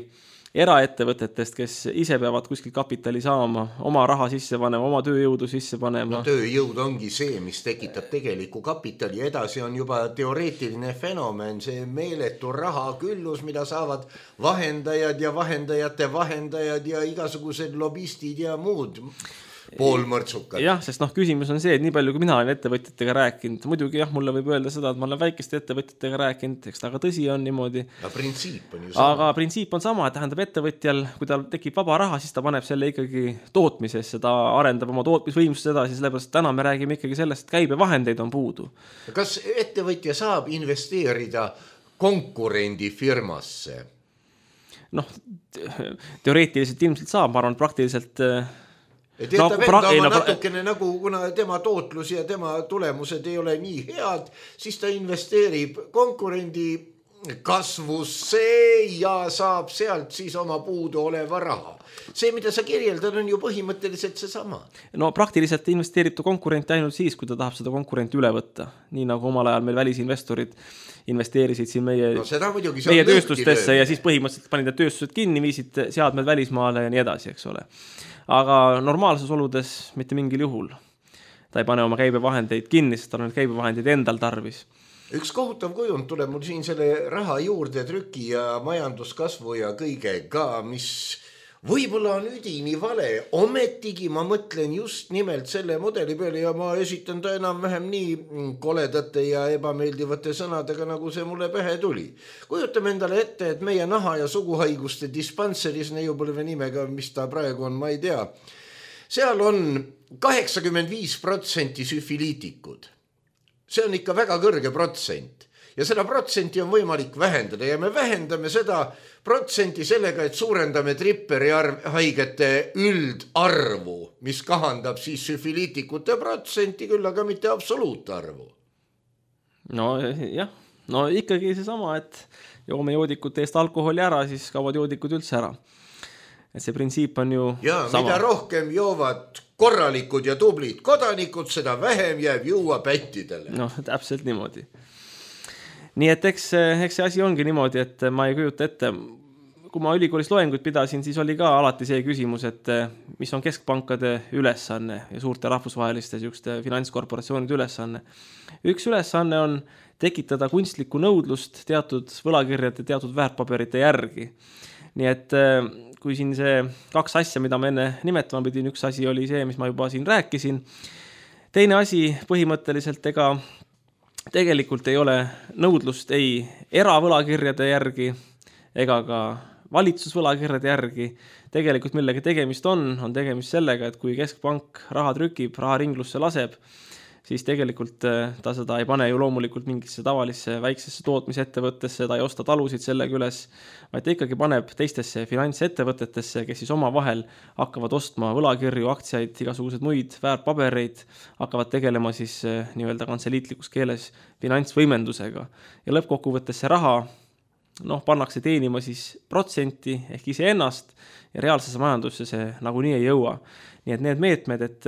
eraettevõtetest, kes ise peavad kuskil kapitali saama, oma raha sisse panema, oma tööjõudu sisse panema. Tööjõud ongi see, mis tekitab tegeliku kapitali, edasi on juba teoreetiline fenomen, see meeletu raha küllus, mida saavad vahendajad ja vahendajate vahendajad ja igasugused lobistid ja muud poolmõrtsukad. Jah, sest küsimus on see, et nii palju, kui mina olen ettevõtjatega rääkinud, muidugi mulle võib öelda seda, et ma olen väikeste ettevõtjatega rääkinud, eks ta aga tõsi on niimoodi. Printsiip on ju sama. Aga printsiip on sama, et tähendab ettevõtjal, kui tal tekib vaba raha, siis ta paneb selle ikkagi tootmisesse, ta arendab oma tootmisvõimsust edasi, sellepärast täna me räägime ikkagi sellest, et käibevahendeid on puudu. Kas ettevõtja saab investeerida konkurendi firmasse? Teoreetiliselt ilmselt saab, ma arvan, praktiliselt natukene nagu, kuna tema tootlus ja tema tulemused ei ole nii head, siis ta investeerib konkurendi kasvusse ja saab sealt siis oma puudu oleva raha. See, mida sa kirjeldad, on ju põhimõtteliselt see sama. Praktiliselt investeerib ta konkurenti ainult siis, kui ta tahab seda konkurenti üle võtta. Nii nagu omal ajal meil välisinvestorid investeerisid siin meie tööstustesse ja siis põhimõtteliselt panid tööstused kinni, viisid seadmed välismaale ja nii edasi, eks ole. Aga normaalses oludes mitte mingil juhul. Ta ei pane oma käibevahendeid kinni, sest ta on käibevahendeid endal tarvis. Üks kohutav kujund tuleb mul siin selle raha juurde trüki ja majanduskasvu ja kõige ka, mis võib-olla on üdini vale. Ometigi ma mõtlen just nimelt selle mudeli peale ja ma esitan ta enam-vähem nii koledate ja ebameeldivate sõnadega, nagu see mulle pähe tuli. Kujutame endale ette, et meie naha- ja suguhaiguste dispanseris, neiupõlve nimega, mis ta praegu on, ma ei tea. Seal on 85% süfiliitikud. See on ikka väga kõrge protsent. Ja seda protsenti on võimalik vähendada ja me vähendame seda protsenti sellega, et suurendame tripperi haigete üldarvu, mis kahandab siis süfiliitikute protsenti, küll aga mitte absoluutarvu. Jah, ikkagi see sama, et joome joodikute eest alkoholi ära, siis kaovad joodikud üldse ära. Et see printsiip on ju sama. Mida rohkem joovad korralikud ja tublid kodanikud, seda vähem jääb juua pättidele. Täpselt niimoodi. Nii et eks see asi ongi niimoodi, et ma ei kujuta ette, kui ma ülikoolis loenguid pidasin, siis oli ka alati see küsimus, et mis on keskpankade ülesanne ja suurte rahvusvaheliste finantskorporatsioonide ülesanne. Üks ülesanne on tekitada kunstlikku nõudlust teatud võlakirjade, teatud väärtpaberite järgi. Nii et kui siin see 2 asja, mida ma enne nimetama pidin, üks asi oli see, mis ma juba siin rääkisin. Teine asi põhimõtteliselt, ega tegelikult ei ole nõudlust ei eravõlakirjade järgi ega ka valitsusvõlakirjade järgi. Tegelikult millega tegemist on tegemist sellega, et kui keskpank raha trükib, raha ringlusse laseb, siis tegelikult ta seda ei pane ju loomulikult mingisse tavalisse väiksesse tootmisettevõttesse, ta ei osta talusid sellega üles, vaid ta ikkagi paneb teistesse finantsettevõtetesse, kes siis omavahel hakkavad ostma võlakirju, aktsiaid, igasugused muid väärtpabereid, hakkavad tegelema siis nii-öelda kantseliitlikus keeles finantsvõimendusega. Ja lõppkokkuvõttes see raha pannakse teenima siis protsenti ehk iseennast ja reaalsesse majandusse see nagunii ei jõua. Nii et need meetmed, et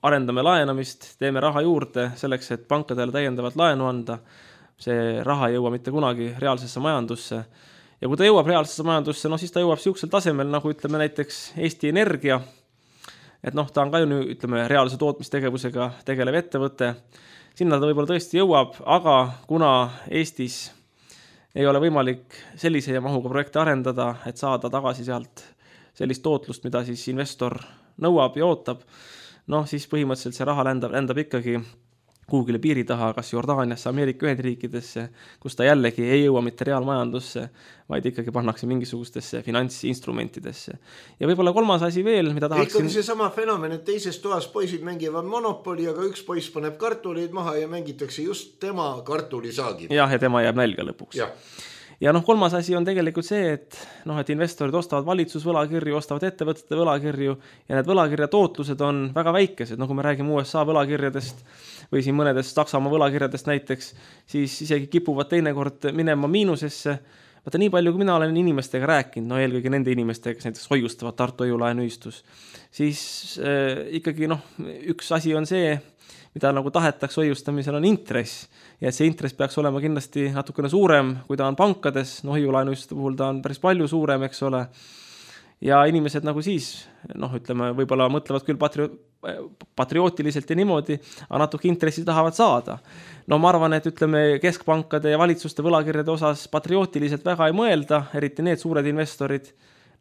arendame laenamist, teeme raha juurde selleks, et pankadele täiendavalt laenu anda, see raha ei jõua mitte kunagi reaalsesse majandusse. Ja kui ta jõuab reaalsesse majandusse, siis ta jõuab siuksel tasemel, nagu ütleme näiteks Eesti Energia, et ta on ka ju ütleme reaalse tootmistegevusega tegelev ettevõte, sinna ta võib-olla tõesti jõuab, aga kuna Eestis ei ole võimalik sellise mahuga projekte arendada, et saada tagasi sealt sellist tootlust, mida siis investor nõuab ja ootab, siis põhimõtteliselt see raha lendab ikkagi kuhugile piiri taha, kas Jordaaniasse, Ameerika Ühendriikidesse, kus ta jällegi ei jõua mitte reaalmajandusse, vaid ikkagi pannakse mingisugustesse finantsinstrumentidesse. Ja võib-olla 3. asi veel, mida tahaksin... Ikkagi see sama fenomen, et teises toas poisid mängivad monopoli, aga üks poiss paneb kartuleid maha ja mängitakse just tema kartulisaagid. Ja tema jääb nälga lõpuks. Ja 3. asi on tegelikult see, et investorid ostavad valitsusvõlakirju, ostavad ettevõtete võlakirju ja need võlakirja tootlused on väga väikesed. Kui me räägime USA võlakirjadest või siin mõnedest Saksamaa võlakirjadest näiteks, siis isegi kipuvad teinekord minema miinusesse. Vaata nii palju, kui mina olen inimestega rääkinud, eelkõige nende inimestega, kes näiteks hoiustavad Tartu Hoiu-laenuühistus, siis ikkagi üks asi on see, mida tahetakse hoiustamisel on intress ja see intress peaks olema kindlasti natukene suurem, kui ta on pankades, hoiulaenuühistuste puhul ta on päris palju suurem, eks ole. Ja inimesed siis, ütleme, võib-olla mõtlevad küll patriootiliselt ja niimoodi, aga natuke intressi tahavad saada. Ma arvan, et ütleme keskpankade ja valitsuste võlakirjade osas patriootiliselt väga ei mõelda, eriti need suured investorid.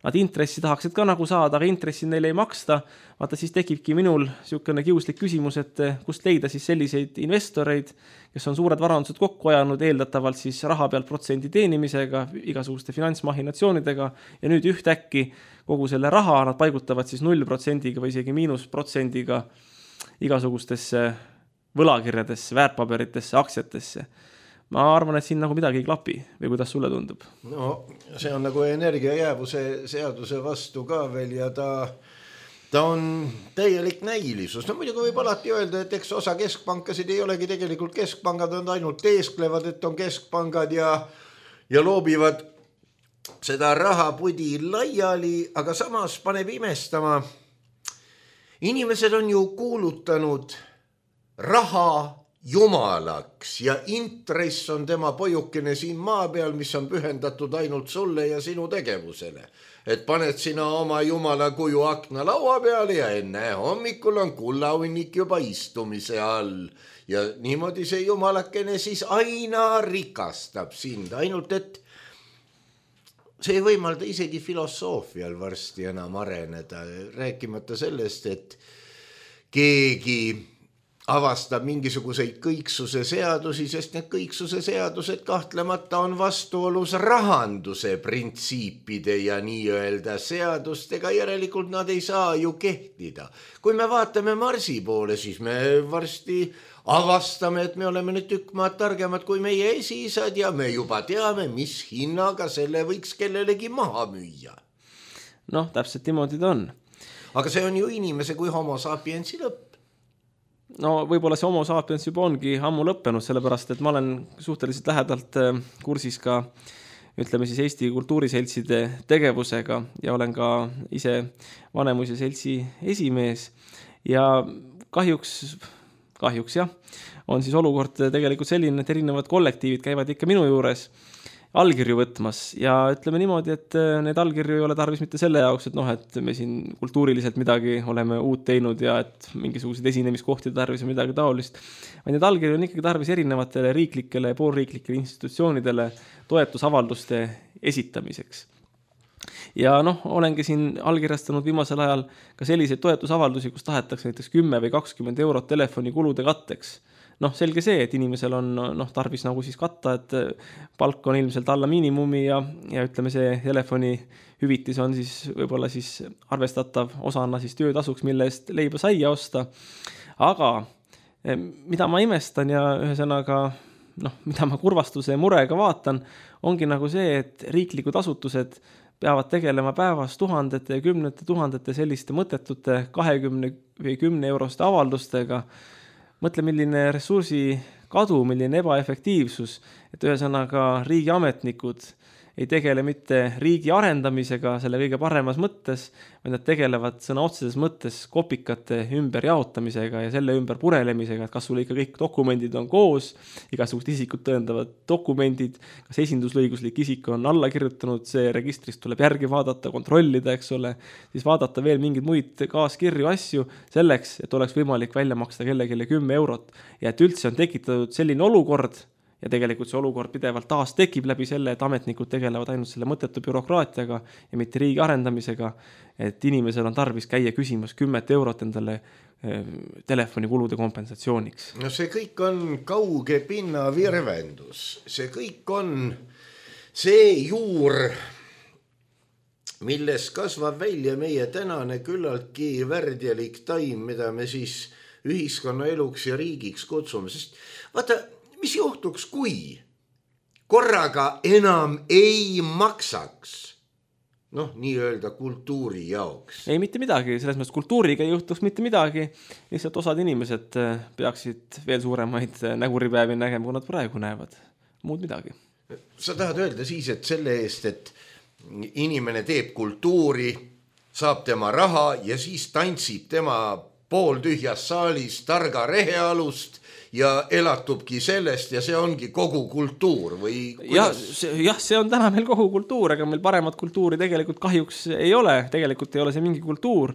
Nad intressi tahaksid ka saada, aga intressi neile ei maksta. Vaata, siis tekibki minul niisugune kiuslik küsimus, et kust leida siis selliseid investoreid, kes on suured varandused kokku ajanud, eeldatavalt siis raha pealt protsendi teenimisega, igasuguste finantsmahinatsioonidega ja nüüd ühtäkki kogu selle raha nad paigutavad siis 0% või isegi -%-ga igasugustesse võlakirjadesse, väärtpaberitesse, aktsiatesse. Ma arvan, et siin midagi ei klapi või kuidas sulle tundub? See on energiajäävuse seaduse vastu ka veel ja ta on täielik näilisus. Muidugi võib alati öelda, et eks osa keskpankasid ei olegi tegelikult keskpangad, on ainult teesklevad, et on keskpangad ja loobivad seda rahapudi laiali, aga samas paneb imestama. Inimesed on ju kuulutanud raha jumalaks ja intress on tema pojukene siin maa peal, mis on pühendatud ainult sulle ja sinu tegevusele. Et paned sina oma jumala kuju akna laua peale ja enne hommikul on kullahunnik juba istumise all. Ja niimoodi see jumalakene siis aina rikastab sind, ainult et see ei võimalda isegi filosoofial varsti enam areneda, rääkimata sellest, et keegi avastab mingisuguseid kõiksuse seadusi, sest need kõiksuse seadused kahtlemata on vastuolus rahanduse printsiipide ja nii-öelda seadustega, järelikult nad ei saa ju kehtida. Kui me vaatame Marsi poole, siis me varsti avastame, et me oleme nüüd tükk maad targemad kui meie esiisad ja me juba teame, mis hinnaga selle võiks kellelegi maha müüa. Täpselt niimoodi ta on. Aga see on ju inimese kui homo sapiensi lõpp. Võib-olla see homo sapiens juba ongi ammu lõppenud, sellepärast, et ma olen suhteliselt lähedalt kursis ka, ütleme siis Eesti kultuuriseltside tegevusega ja olen ka ise Vanemuise seltsi esimees ja kahjuks jah, on siis olukord tegelikult selline, et erinevad kollektiivid käivad ikka minu juures. allkirju võtmas ja ütleme niimoodi, et need allkirju ei ole tarvis mitte selle jaoks, et et me siin kultuuriliselt midagi oleme uut teinud ja et mingisuguseid esinemiskohti tarvis ja midagi taolist, vaid need allkirju on ikkagi tarvis erinevatele riiklikele ja poolriiklikele institutsioonidele toetusavalduste esitamiseks. Ja olengi siin allkirjastanud viimasel ajal ka selliseid toetusavaldusi, kus tahetakse näiteks 10 või 20 eurot telefonikulude katteks. Selge see, et inimesel on tarvis nagu siis katta, et palk on ilmselt alla miinimumi ja ütleme see telefoni hüvitis on siis võib-olla siis arvestatav osana siis töötasuks, mille eest leiba saia osta. Aga mida ma imestan ja ühesõnaga, mida ma kurvastuse ja murega vaatan, ongi nagu see, et riiklikud asutused peavad tegelema päevas tuhandete ja kümnete tuhandete selliste mõttetute 20 või 10 euroste avaldustega. Mõtle, milline ressursi kadu, milline ebaefektiivsus, et ühesõnaga riigiametnikud ei tegele mitte riigi arendamisega selle kõige paremas mõttes, vaid nad tegelevad sõna otseses mõttes kopikate ümber jaotamisega ja selle ümber purelemisega, et kas sul ikka kõik dokumendid on koos, igasugused isikut tõendavad dokumendid, kas esinduslõiguslik isik on alla kirjutanud, see registrist tuleb järgi vaadata, kontrollida, eks ole, siis vaadata veel mingeid muid kaaskirju asju selleks, et oleks võimalik välja maksta kellelegi 10 eurot ja et üldse on tekitatud selline olukord, ja tegelikult see olukord pidevalt taas tekib läbi selle, et ametnikud tegelevad ainult selle mõttetu bürokraatiaga ja mitte riigi arendamisega, et inimesel on tarvis käia küsimas 10 eurot endale telefonikulude kompensatsiooniks. See kõik on kauge pinna virvendus. See kõik on see juur, milles kasvab välja meie tänane küllaltki värdjalik taim, mida me siis ühiskonna eluks ja riigiks kutsume. Sest vaata, mis juhtuks, kui korraga enam ei maksaks, nii-öelda kultuuri jaoks? Ei, mitte midagi, selles mõttes kultuuriga ei juhtuks mitte midagi, lihtsalt osad inimesed peaksid veel suuremaid näguripäevi nägema, kui nad praegu näevad, muud midagi. Sa tahad öelda siis, et selle eest, et inimene teeb kultuuri, saab tema raha ja siis tantsib tema pooltühjas saalis targa rehealust ja elatubki sellest ja see ongi kogu kultuur või kuidas? See on täna meil kogu kultuur, aga meil paremat kultuuri tegelikult kahjuks ei ole. Tegelikult ei ole see mingi kultuur,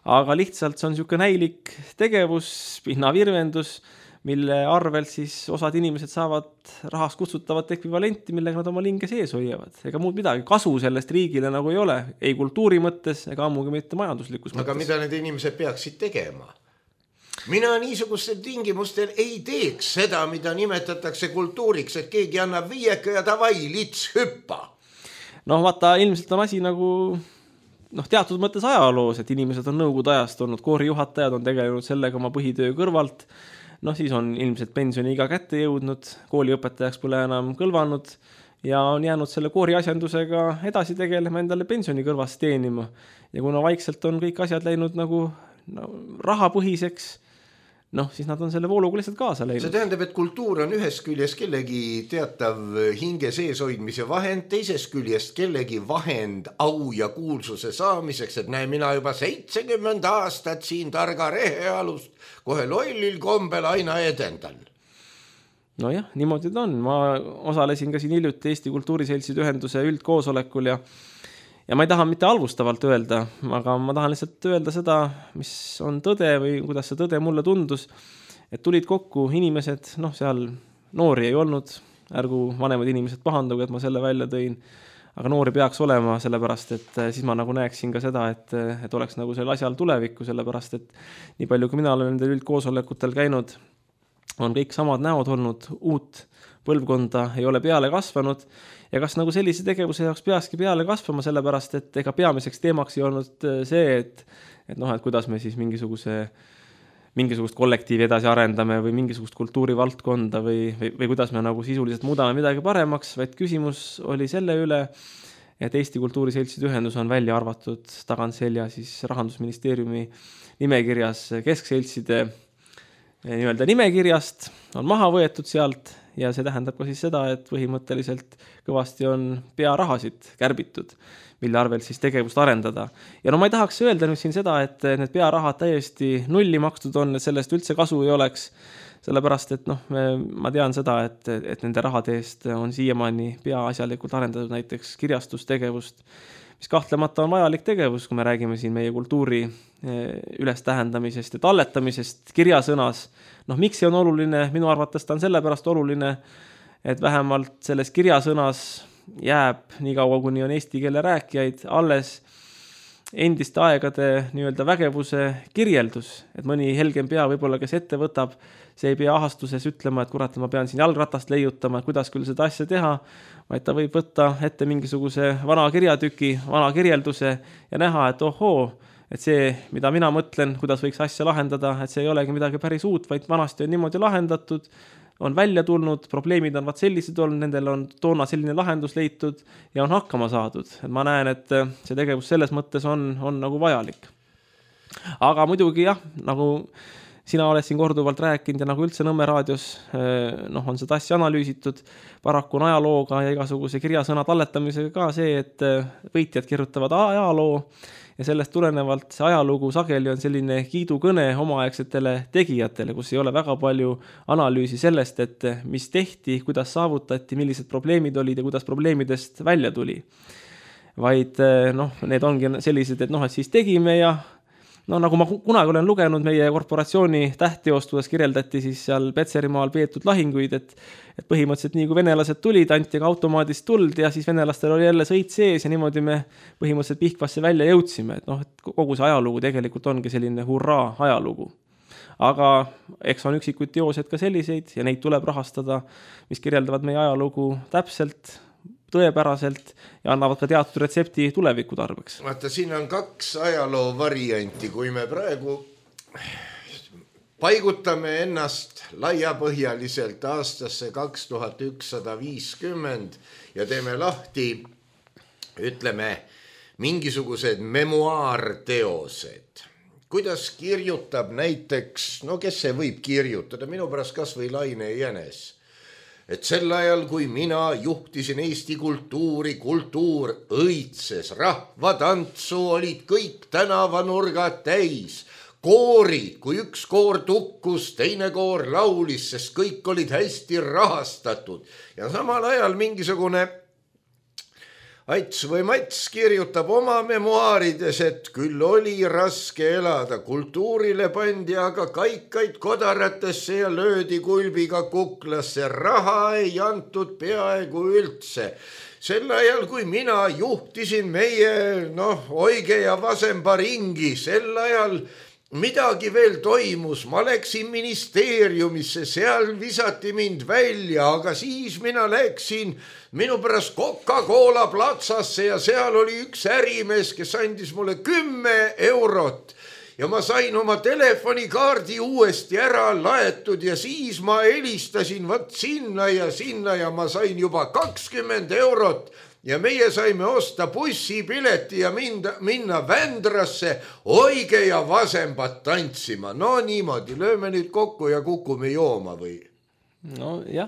aga lihtsalt see on niisugune näilik tegevus, pinnavirvendus, mille arvel siis osad inimesed saavad rahas kutsutavat ekvivalenti, millega nad oma linge sees hoiavad. Ega muud midagi. Kasu sellest riigile nagu ei ole, ei kultuuri mõttes ega ammugi mitte majanduslikus mõttes. Aga mida need inimesed peaksid tegema? Mina niisugustel tingimustel ei teeks seda, mida nimetatakse kultuuriks, et keegi annab 5 ja davai, lits hüppa. Vaata, ilmselt on asi nagu teatud mõttes ajaloos, et inimesed on nõukogude ajast olnud, koorijuhatajad on tegelenud sellega oma põhitöö kõrvalt, siis on ilmselt pensioniiga kätte jõudnud, kooliõpetajaks pole enam kõlvanud ja on jäänud selle kooriasjandusega edasi tegelema, endale pensioni kõrvast teenima. Ja kuna vaikselt on kõik asjad läinud nagu rahapõhiseks, siis nad on selle vooluga lihtsalt kaasa läinud. See tähendab, et kultuur on ühest küljest kellegi teatav hinge sees hoidmise vahend, teisest küljest kellegi vahend au ja kuulsuse saamiseks, et näe, mina juba 70 aastat siin targa rehealust kohe lollil kombel aina edendan. Nojah, niimoodi ta on. Ma osalesin ka siin hiljuti Eesti Kultuuriseltside ühenduse üldkoosolekul ja ma ei taha mitte halvustavalt öelda, aga ma tahan lihtsalt öelda seda, mis on tõde või kuidas see tõde mulle tundus, et tulid kokku inimesed, seal noori ei olnud, ärgu vanemad inimesed pahandugu, et ma selle välja tõin, aga noori peaks olema, sellepärast, et siis ma nagu näeksin ka seda, et oleks nagu selle asjal tulevikku, sellepärast, et nii palju, kui mina olen nendel üldkoosolekutel käinud, on kõik samad näod olnud, uut põlvkonda ei ole peale kasvanud ja kas nagu sellise tegevuse jaoks peakski peale kasvama, sellepärast, et ega peamiseks teemaks ei olnud see, et kuidas me siis mingisugust kollektiivi edasi arendame või mingisugust kultuurivaldkonda või kuidas me nagu sisuliselt muudame midagi paremaks, vaid küsimus oli selle üle, et Eesti Kultuuriseltside ühendus on välja arvatud tagantselja siis Rahandusministeeriumi nimekirjas keskseltside nii-öelda nimekirjast, on maha võetud sealt ja see tähendab ka siis seda, et põhimõtteliselt kõvasti on pearahasid kärbitud, mille arvel siis tegevust arendada. Ja ma ei tahaks öelda nüüd siin seda, et need pearahad täiesti nulli makstud on, et sellest üldse kasu ei oleks, sellepärast, et noh, ma tean seda, et nende rahade eest on siiamaani peaasjalikult arendatud näiteks kirjastustegevust, mis kahtlemata on vajalik tegevus, kui me räägime siin meie kultuuri ülestähendamisest ja talletamisest kirjasõnas. Noh, miks see on oluline? Minu arvates ta on sellepärast oluline, et vähemalt selles kirjasõnas jääb nii kaua, kuni on eesti keele rääkijaid alles endiste aegade nii-öelda vägevuse kirjeldus, et mõni helgem pea võib-olla, kes ette võtab, see ei pea ahastuses ütlema, et kurat, ma pean siin jalgratast leiutama, kuidas küll seda asja teha, vaid ta võib võtta ette mingisuguse vana kirjatüki, vana kirjelduse ja näha, et ohoo, et see, mida mina mõtlen, kuidas võiks asja lahendada, et see ei olegi midagi päris uut, vaid vanasti on niimoodi lahendatud, on välja tulnud, probleemid on vaat sellised olnud, nendel on toona selline lahendus leitud ja on hakkama saadud. Et ma näen, et see tegevus selles mõttes on nagu vajalik. Aga muidugi jah, nagu sina oled siin korduvalt rääkinud ja nagu üldse Nõmme raadios on seda asja analüüsitud, paraku on ajalooga ja igasuguse kirjasõna talletamisega ka see, et võitjad kirjutavad ajaloo ja sellest tulenevalt see ajalugu sageli on selline kiidukõne omaaegsetele tegijatele, kus ei ole väga palju analüüsi sellest, et mis tehti, kuidas saavutati, millised probleemid olid ja kuidas probleemidest välja tuli. Vaid need ongi sellised, et et siis tegime ja nagu ma kunagi olen lugenud meie korporatsiooni tähtteost, kuidas kirjeldati siis seal Petserimaal peetud lahinguid, et põhimõtteliselt nii kui venelased tulid, anti ka automaadist tuld ja siis venelastel oli jälle sõit sees ja niimoodi me põhimõtteliselt Pihkvasse välja jõudsime. Et kogu see ajalugu tegelikult ongi selline hurraa ajalugu. Aga eks on üksikuid teosed ka selliseid ja neid tuleb rahastada, mis kirjeldavad meie ajalugu täpselt, tõepäraselt ja annavad ka teatud retsepti tuleviku tarbeks. Vaata, siin on 2 ajaloo varianti, kui me praegu paigutame ennast laiapõhjaliselt aastasse 2150 ja teeme lahti, ütleme, mingisugused memuaarteosed. Kuidas kirjutab näiteks, kes see võib kirjutada, minu pärast kas või Laine Jänes. Et sel ajal, kui mina juhtisin Eesti kultuuri, kultuur õitses, rahvatantsu olid kõik tänavanurgad täis. Koorid, kui üks koor tukkus, teine koor laulis, sest kõik olid hästi rahastatud. Ja samal ajal mingisugune Ats või Mats kirjutab oma memuaarides, et küll oli raske elada, kultuurile pandi aga kaikaid kodaratesse ja löödi kulbiga kuklasse, raha ei antud peaaegu üldse. Sel ajal, kui mina juhtisin meie, Oige ja Vasemba ringi, sel ajal midagi veel toimus, ma läksin ministeeriumisse, seal visati mind välja, aga siis mina läksin minu pärast Coca-Cola platsasse ja seal oli üks ärimees, kes andis mulle 10 eurot ja ma sain oma telefonikaardi uuesti ära laetud ja siis ma helistasin sinna ja ma sain juba 20 eurot. Ja meie saime osta bussipileti ja minna Vändrasse Oige ja Vasembat tantsima. No niimoodi, lööme nüüd kokku ja kukume jooma või? No jah.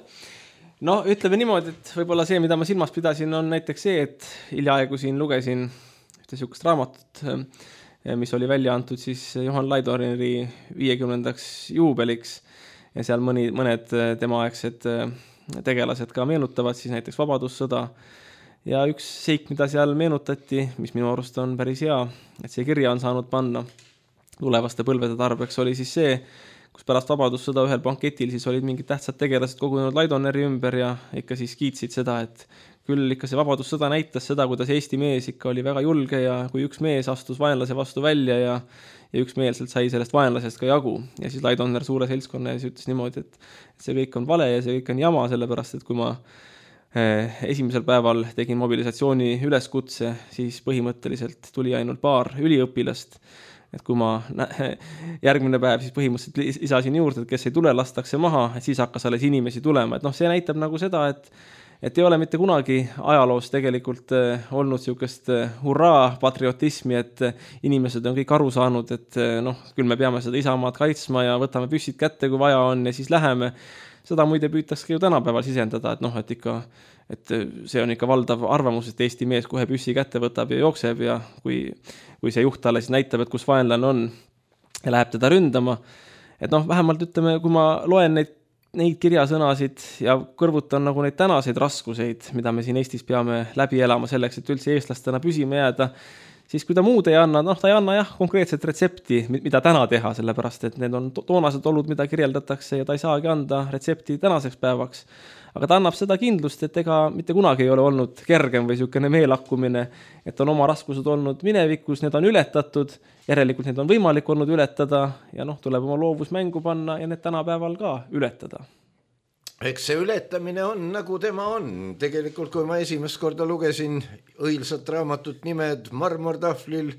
Ütleme niimoodi, et võib-olla see, mida ma silmas pidasin, on näiteks see, et hiljaaegu siin lugesin ühte sihukest raamatut, mis oli välja antud siis Johan Laidoneri 50. juubeliks ja seal mõned temaaegsed tegelased ka meenutavad siis näiteks Vabadussõda. Ja üks seik, mida seal meenutati, mis minu arust on päris hea, et see kirja on saanud panna tulevaste põlvede tarbeks, oli siis see, kus pärast Vabadussõda ühel banketil siis olid mingid tähtsad tegelased kogunenud Laidoneri ümber ja ikka siis kiitsid seda, et küll ikka see Vabadussõda näitas seda, kuidas Eesti mees ikka oli väga julge ja kui üks mees astus vaenlase vastu välja ja üksmeelselt sai sellest vaenlasest ka jagu. Ja siis Laidoner suure seltskonna ja siis ütles niimoodi, et see kõik on vale ja see kõik on jama, sellepärast, et kui ma esimesel päeval tegin mobilisatsiooni üleskutse, siis põhimõtteliselt tuli ainult paar üliõpilast, et kui ma järgmine päev siis põhimõtteliselt lisasin juurde, et kes ei tule, lastakse maha, et siis hakkas alles inimesi tulema, et see näitab nagu seda, et ei ole mitte kunagi ajaloos tegelikult olnud sihukest hurraa patriotismi, et inimesed on kõik aru saanud, et küll me peame seda isamaad kaitsma ja võtame püssid kätte, kui vaja on ja siis läheme. Seda muide püütakse ju tänapäeval sisendada, et see on ikka valdav arvamus, et Eesti mees kohe püssi kätte võtab ja jookseb ja kui see juht talle siis näitab, et kus vaenlane on ja läheb teda ründama, et noh, vähemalt ütleme, kui ma loen neid kirjasõnasid ja kõrvutan nagu neid tänaseid raskuseid, mida me siin Eestis peame läbi elama selleks, et üldse eestlastena püsima jääda, siis kui ta muud ei anna, ta ei anna jah konkreetset retsepti, mida täna teha, sellepärast et need on toonased olud, mida kirjeldatakse ja ta ei saagi anda retsepti tänaseks päevaks. Aga ta annab seda kindlust, et ega mitte kunagi ei ole olnud kergem või niisugune meelakkumine, et on oma raskused olnud minevikus, need on ületatud, järelikult need on võimalik olnud ületada ja tuleb oma loovus mängu panna ja need tänapäeval ka ületada. Eks see ületamine on nagu tema on. Tegelikult, kui ma esimest korda lugesin õilsat raamatut Nimed marmortahvlil,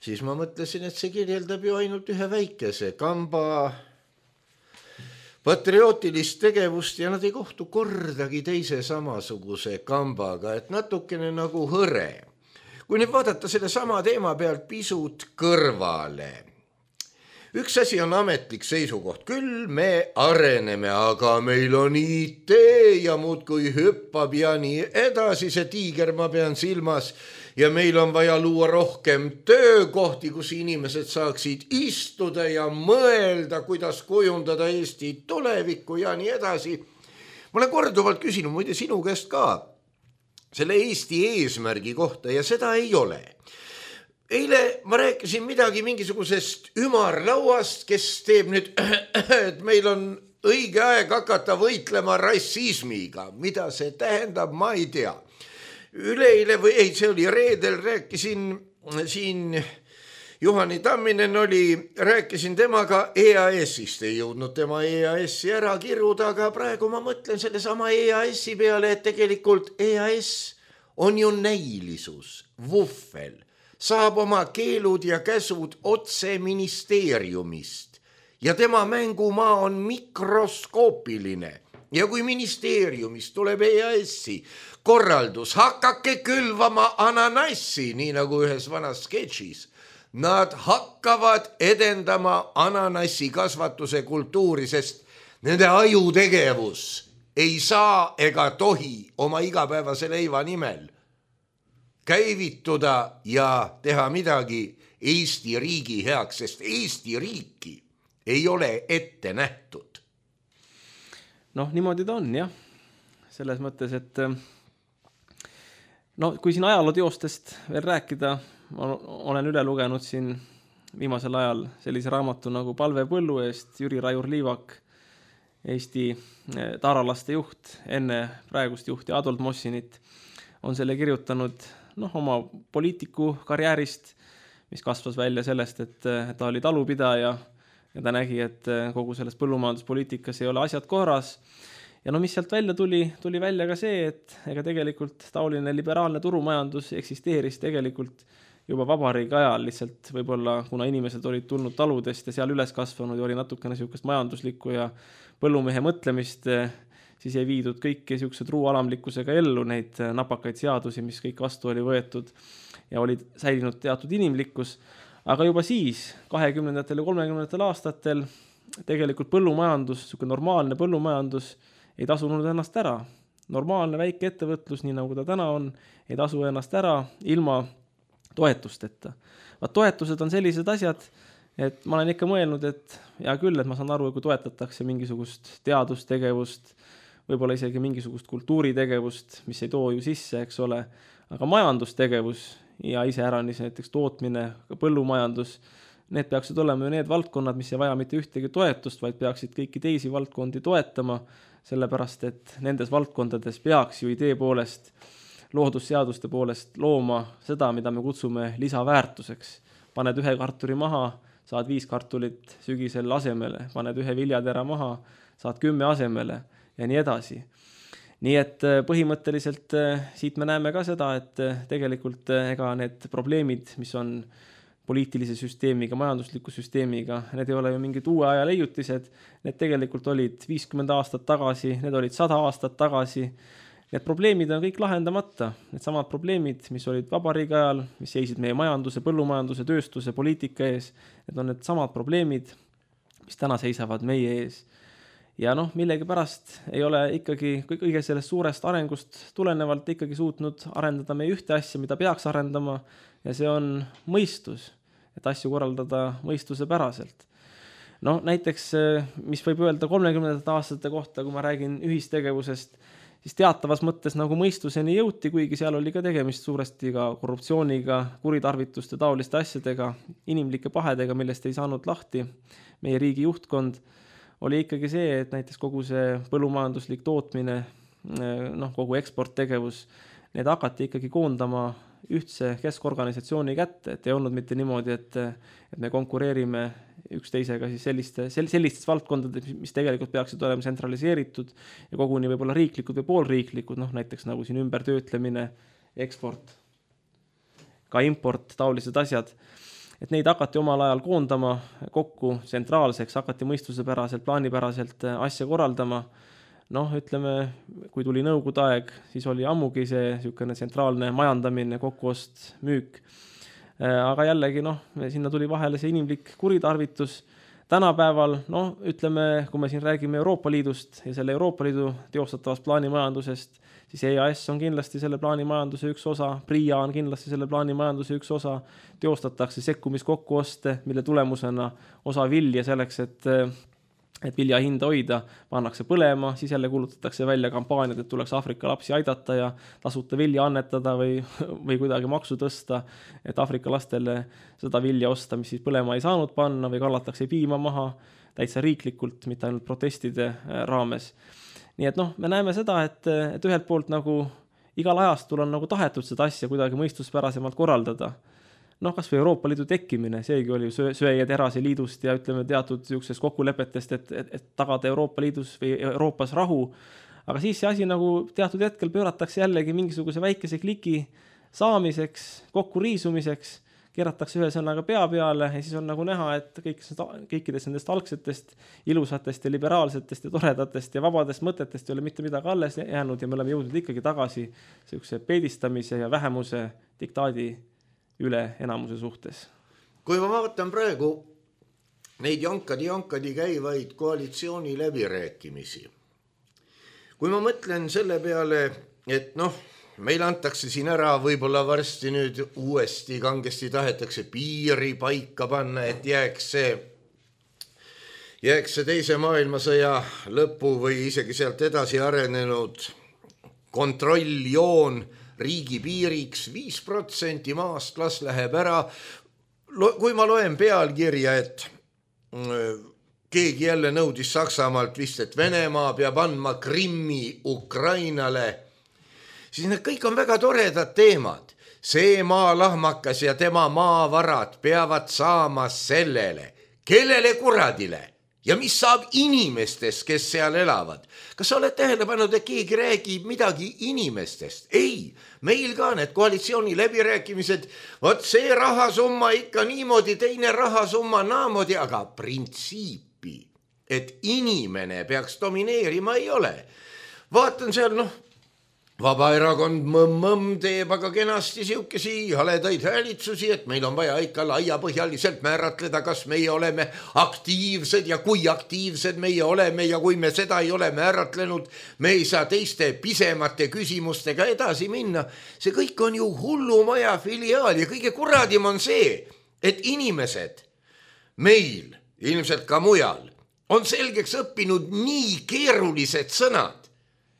siis ma mõtlesin, et see kirjeldab ju ainult ühe väikese kamba patriootilist tegevust ja nad ei kohtu kordagi teise samasuguse kambaga, et natukene nagu hõre. Kui nüüd vaadata selle sama teema pealt pisut kõrvale. Üks asi on ametlik seisukoht. Küll me areneme, aga meil on IT ja muudkui hüppab ja nii edasi. See tiiger ma pean silmas. Ja meil on vaja luua rohkem töökohti, kus inimesed saaksid istuda ja mõelda, kuidas kujundada Eesti tulevikku ja nii edasi. Ma olen korduvalt küsinud, muide sinu käest ka, selle Eesti eesmärgi kohta ja seda ei ole. Eile ma rääkisin midagi mingisugusest ümarlauast, kes teeb nüüd, et meil on õige aeg hakata võitlema rassismiga. Mida see tähendab, ma ei tea. Üleile või ei, see oli reedel, rääkisin siin, Juhani Tamminen rääkisin temaga EAS-ist, ei jõudnud tema EAS-i ära kiruda, aga praegu ma mõtlen selle sama EAS-i peale, et tegelikult EAS on ju näilisus, vuffel, saab oma keelud ja käsud otse ministeeriumist ja tema mängumaa on mikroskoopiline. Ja kui ministeeriumist tuleb EAS-i korraldus, hakake külvama ananassi, nii nagu ühes vanas sketšis, nad hakkavad edendama ananassi kasvatuse kultuuri, sest nende ajutegevus ei saa ega tohi oma igapäevase leiva nimel käivituda ja teha midagi Eesti riigi heaks, sest Eesti riiki ei ole ette nähtud. Niimoodi ta on, jah. Selles mõttes, et kui siin ajalooteostest veel rääkida, ma olen üle lugenud siin viimasel ajal sellise raamatu nagu Palve põllu eest, Jüri Raiur-Liivak, Eesti taaralaste juht, enne praegust juhti Adolf Mossinit, on selle kirjutanud oma poliitiku karjäärist, mis kasvas välja sellest, et ta oli talupidaja ja ta nägi, et kogu selles põllumajanduspoliitikas ei ole asjad korras. Ja mis sealt välja tuli välja ka see, et ega tegelikult taoline liberaalne turumajandus eksisteeris tegelikult juba vabariigi ajal, lihtsalt võib-olla kuna inimesed olid tulnud taludest ja seal üles kasvanud ja oli natukene niisugust majanduslikku ja põllumehe mõtlemist, siis ei viidud kõiki niisugused ruualamlikkusega ellu neid napakaid seadusi, mis kõik vastu oli võetud ja oli säilinud teatud inimlikkus. Aga juba siis, 20. ja 30. aastatel, tegelikult põllumajandus, niisugune normaalne põllumajandus ei tasunud ennast ära. Normaalne väike ettevõtlus, nii nagu ta täna on, ei tasu ennast ära ilma toetusteta. Toetused on sellised asjad, et ma olen ikka mõelnud, et hea küll, et ma saan aru, kui toetatakse mingisugust teadustegevust, võib-olla isegi mingisugust kultuuritegevust, mis ei too ju sisse, eks ole, aga majandustegevus ja iseäranis näiteks tootmine, põllumajandus, need peaksid olema ju need valdkonnad, mis ei vaja mitte ühtegi toetust, vaid peaksid kõiki teisi valdkondi toetama, sellepärast et nendes valdkondades peaks ju idee poolest, loodusseaduste poolest looma seda, mida me kutsume lisaväärtuseks. Paned ühe kartuli maha, saad 5 kartulit sügisel asemele, paned ühe viljatera maha, saad 10 asemele ja nii edasi. Nii et põhimõtteliselt siit me näeme ka seda, et tegelikult ega need probleemid, mis on poliitilise süsteemiga, majandusliku süsteemiga, need ei ole ju mingid uue aja leiutised, need tegelikult olid 50 aastat tagasi, need olid 100 aastat tagasi. Need probleemid on kõik lahendamata, need samad probleemid, mis olid vabariigi ajal, mis seisid meie majanduse, põllumajanduse, tööstuse, poliitika ees, need on need samad probleemid, mis täna seisavad meie ees. Ja millegi pärast ei ole ikkagi kõige sellest suurest arengust tulenevalt ikkagi suutnud arendada meie ühte asja, mida peaks arendama, ja see on mõistus, et asju korraldada mõistuse päraselt. No näiteks, mis võib öelda 30. aastate kohta, kui ma räägin ühistegevusest, siis teatavas mõttes nagu mõistuseni jõuti, kuigi seal oli ka tegemist suuresti ka korruptsiooniga, kuritarvituste taoliste asjadega, inimlike pahedega, millest ei saanud lahti meie riigi juhtkond, oli ikkagi see, et näiteks kogu see põllumajanduslik tootmine, kogu eksporttegevus, need hakati ikkagi koondama ühtse keskorganisatsiooni kätte, et ei olnud mitte niimoodi, et me konkureerime üksteisega siis sellistes valdkondades, mis tegelikult peaksid olema tsentraliseeritud ja koguni võib-olla riiklikud või poolriiklikud, näiteks nagu siin ümbertöötlemine, eksport, ka import, taolised asjad. Et neid hakati omal ajal koondama kokku tsentraalseks, hakati mõistusepäraselt, plaanipäraselt asja korraldama. Ütleme, kui tuli nõukogude aeg, siis oli ammugi see niisugune tsentraalne majandamine, kokkuost, müük. Aga jällegi, sinna tuli vahele see inimlik kuritarvitus. Tänapäeval, ütleme, kui me siin räägime Euroopa Liidust ja selle Euroopa Liidu teostatavast plaanimajandusest, siis EAS on kindlasti selle plaanimajanduse üks osa, PRIA on kindlasti selle plaanimajanduse üks osa, teostatakse sekkumiskokkuoste, mille tulemusena osa vilja selleks, et vilja hinda hoida, pannakse põlema, siis jälle kulutatakse välja kampaaniad, et tuleks Afrika lapsi aidata ja tasuta vilja annetada või kuidagi maksu tõsta, et Afrika lastele seda vilja osta, mis siis põlema ei saanud panna või kallatakse piima maha täitsa riiklikult, mitte ainult protestide raames. Nii et me näeme seda, et ühelt poolt nagu igal ajastul on nagu tahetud seda asja kuidagi mõistuspärasemalt korraldada. Kas või Euroopa Liidu tekkimine, seegi oli söe- ja terase liidust ja ütleme teatud niisugusest kokkulepetest, et tagada Euroopa Liidus või Euroopas rahu. Aga siis see asi nagu teatud hetkel pööratakse jällegi mingisuguse väikese kliki saamiseks, kokkuriisumiseks, keeratakse ühe sõnaga pea peale ja siis on nagu näha, et kõikidest nendest algsetest, ilusatest ja liberaalsetest ja toredatest ja vabadest mõtetest ei ole mitte midagi alles jäänud ja me oleme jõudnud ikkagi tagasi niisuguse peedistamise ja vähemuse diktaadi üle enamuse suhtes. Kui ma vaatan praegu neid jankadi käivaid koalitsiooni läbirääkimisi, kui ma mõtlen selle peale, et meil antakse siin ära võib-olla varsti nüüd uuesti kangesti tahetakse piiri paika panna, et jääks see teise maailmasõja lõpu või isegi sealt edasi arenenud kontrolljoon riigi piiriks, 5% maast las läheb ära. Kui ma loen pealkirja, et keegi jälle nõudis Saksamaalt vist, et Venemaa peab andma Krimmi Ukrainale, siis need kõik on väga toredad teemad. See maalahmakas ja tema maavarad peavad saama sellele, kellele kuradile ja mis saab inimestest, kes seal elavad. Kas sa oled tähele pannud, et keegi räägib midagi inimestest? Ei, meil ka need koalitsiooni läbirääkimised, vot see rahasumma ikka niimoodi, teine rahasumma naamoodi, aga printsiipi, et inimene peaks domineerima, ei ole. Vaatan seal, Vabaerakond mõmm teeb aga kenasti siukesi haledaid häälitsusi, et meil on vaja ikka laiapõhjaliselt määratleda, kas meie oleme aktiivsed ja kui aktiivsed meie oleme ja kui me seda ei ole määratlenud, me ei saa teiste pisemate küsimustega edasi minna. See kõik on ju hullumaja filiaal ja kõige kuradim on see, et inimesed meil, ilmselt ka mujal, on selgeks õppinud nii keerulised sõnad,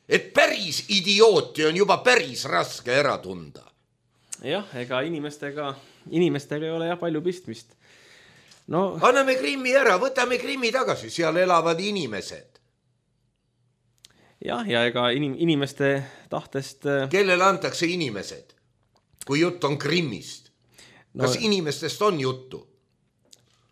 et päris idiooti on juba päris raske ära tunda. Jah, ega inimestega ei ole palju pistmist. Anname Krimmi ära, võtame Krimmi tagasi, seal elavad inimesed. Jah, ja ega inimeste tahtest... Kellele antakse inimesed, kui jutt on Krimmist? Kas inimestest on juttu?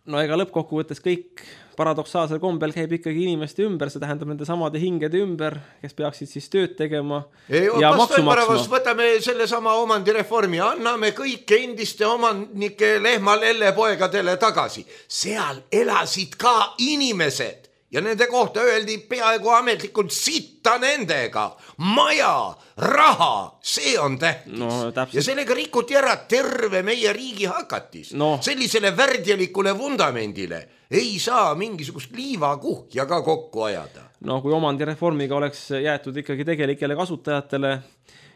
Ega lõppkokkuvõttes kõik paradoksaalsel kombel käib ikkagi inimeste ümber, see tähendab nende samade hingede ümber, kes peaksid siis tööd tegema ja maksu maksma. Võtame selle sama omandireformi, anname kõik endiste omanike lehma-lellepoegadele tagasi. Seal elasid ka inimesed ja nende kohta öeldi peaaegu ametlikult sitta nendega. Maja, raha, see on tähtis. Ja sellega rikuti ära terve meie riigi hakatis. Sellisele värdjalikule vundamendile ei saa mingisugust liivakuhja ka kokku ajada. Kui omandireformiga oleks jäetud ikkagi tegelikele kasutajatele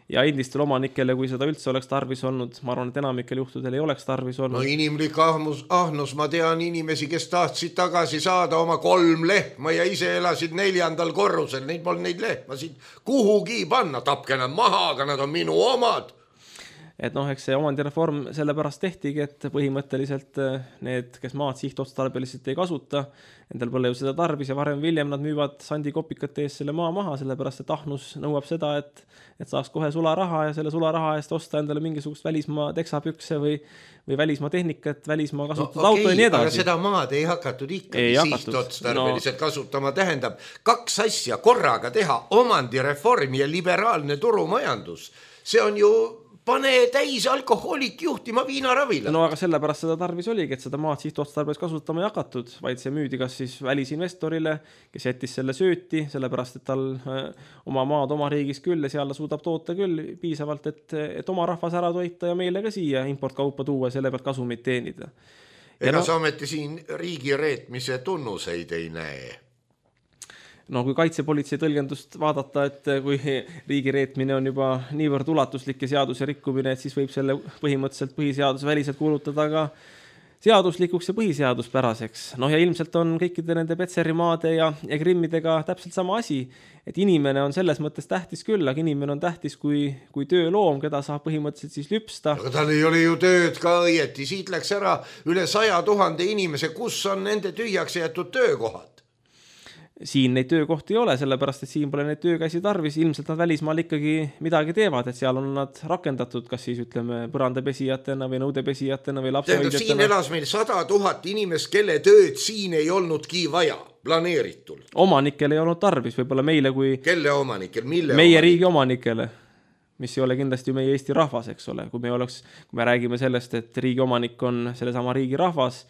ja endistel omanikele, kui seda üldse oleks tarvis olnud, ma arvan, et enamikel juhtudel ei oleks tarvis olnud. No inimlik ahnus, ma tean inimesi, kes tahtsid tagasi saada oma 3 lehma ja ise elasid 4. korrusel, neid polnud neid lehmasid kuhugi panna, tapke nad maha, aga nad on minu omad. Et noh, eks see omandireform sellepärast tehtigi, et põhimõtteliselt need, kes maad sihtotstarbeliselt ei kasuta, endal pole ju seda tarvis ja varem viljem nad müüvad sandikopikate eest selle maa maha, sellepärast et ahnus nõuab seda, et saaks kohe sularaha ja selle sularaha eest osta endale mingisugust välismaa teksapükse või välismaa tehnikat, välismaa kasutatud auto ja nii edasi. Aga seda maad ei hakatud ikkagi sihtotstarbeliselt kasutama, tähendab 2 asja korraga teha, omandireform ja liberaalne turumajandus. See on ju pane täis alkohoolik juhtima viinaravile. No aga sellepärast seda tarvis oligi, et seda maad sihtotstarbes kasutama ei hakatud, vaid see müüdi kas siis välisinvestorile, kes jättis selle sööti, sellepärast et tal oma maad oma riigis küll ja seal ta suudab toota küll piisavalt, et oma rahvas ära toita ja meile ka siia importkaupa tuua ja selle pealt kasumit teenida. Ega sa ometi siin riigi reetmise tunnuseid ei näe? No kui kaitsepolitsei tõlgendust vaadata, et kui riigi reetmine on juba niivõrd ulatuslik ja seaduse rikkumine, et siis võib selle põhimõtteliselt põhiseaduse väliselt kuulutada ka seaduslikuks ja põhiseaduspäraseks. No ja ilmselt on kõikide nende Petserimaade ja Krimmidega täpselt sama asi, et inimene on selles mõttes tähtis küll, aga inimene on tähtis kui tööloom, keda saab põhimõtteliselt siis lüpsta. Aga tal ei ole ju tööd ka õieti, siit läks ära üle 100 000 inimese, kus on nende tühjaks jäetud töökohad? Siin neid töökohti ei ole, sellepärast, et siin pole neid töökäsi tarvis, ilmselt nad välismaal ikkagi midagi teevad, et seal on nad rakendatud, kas siis ütleme põrandapesijatena või nõudepesijatena või lapsehoidjatena. Siin elas meil 100 000 inimest, kelle tööd siin ei olnudki vaja, planeeritul. Omanikel ei olnud tarvis, võib-olla meile kui... Kelle omanikel, mille meie riigi omanikele, mis ei ole kindlasti ju meie Eesti rahvas, eks ole. Kui me räägime sellest, et riigi omanik on sellesama riigi rahvas,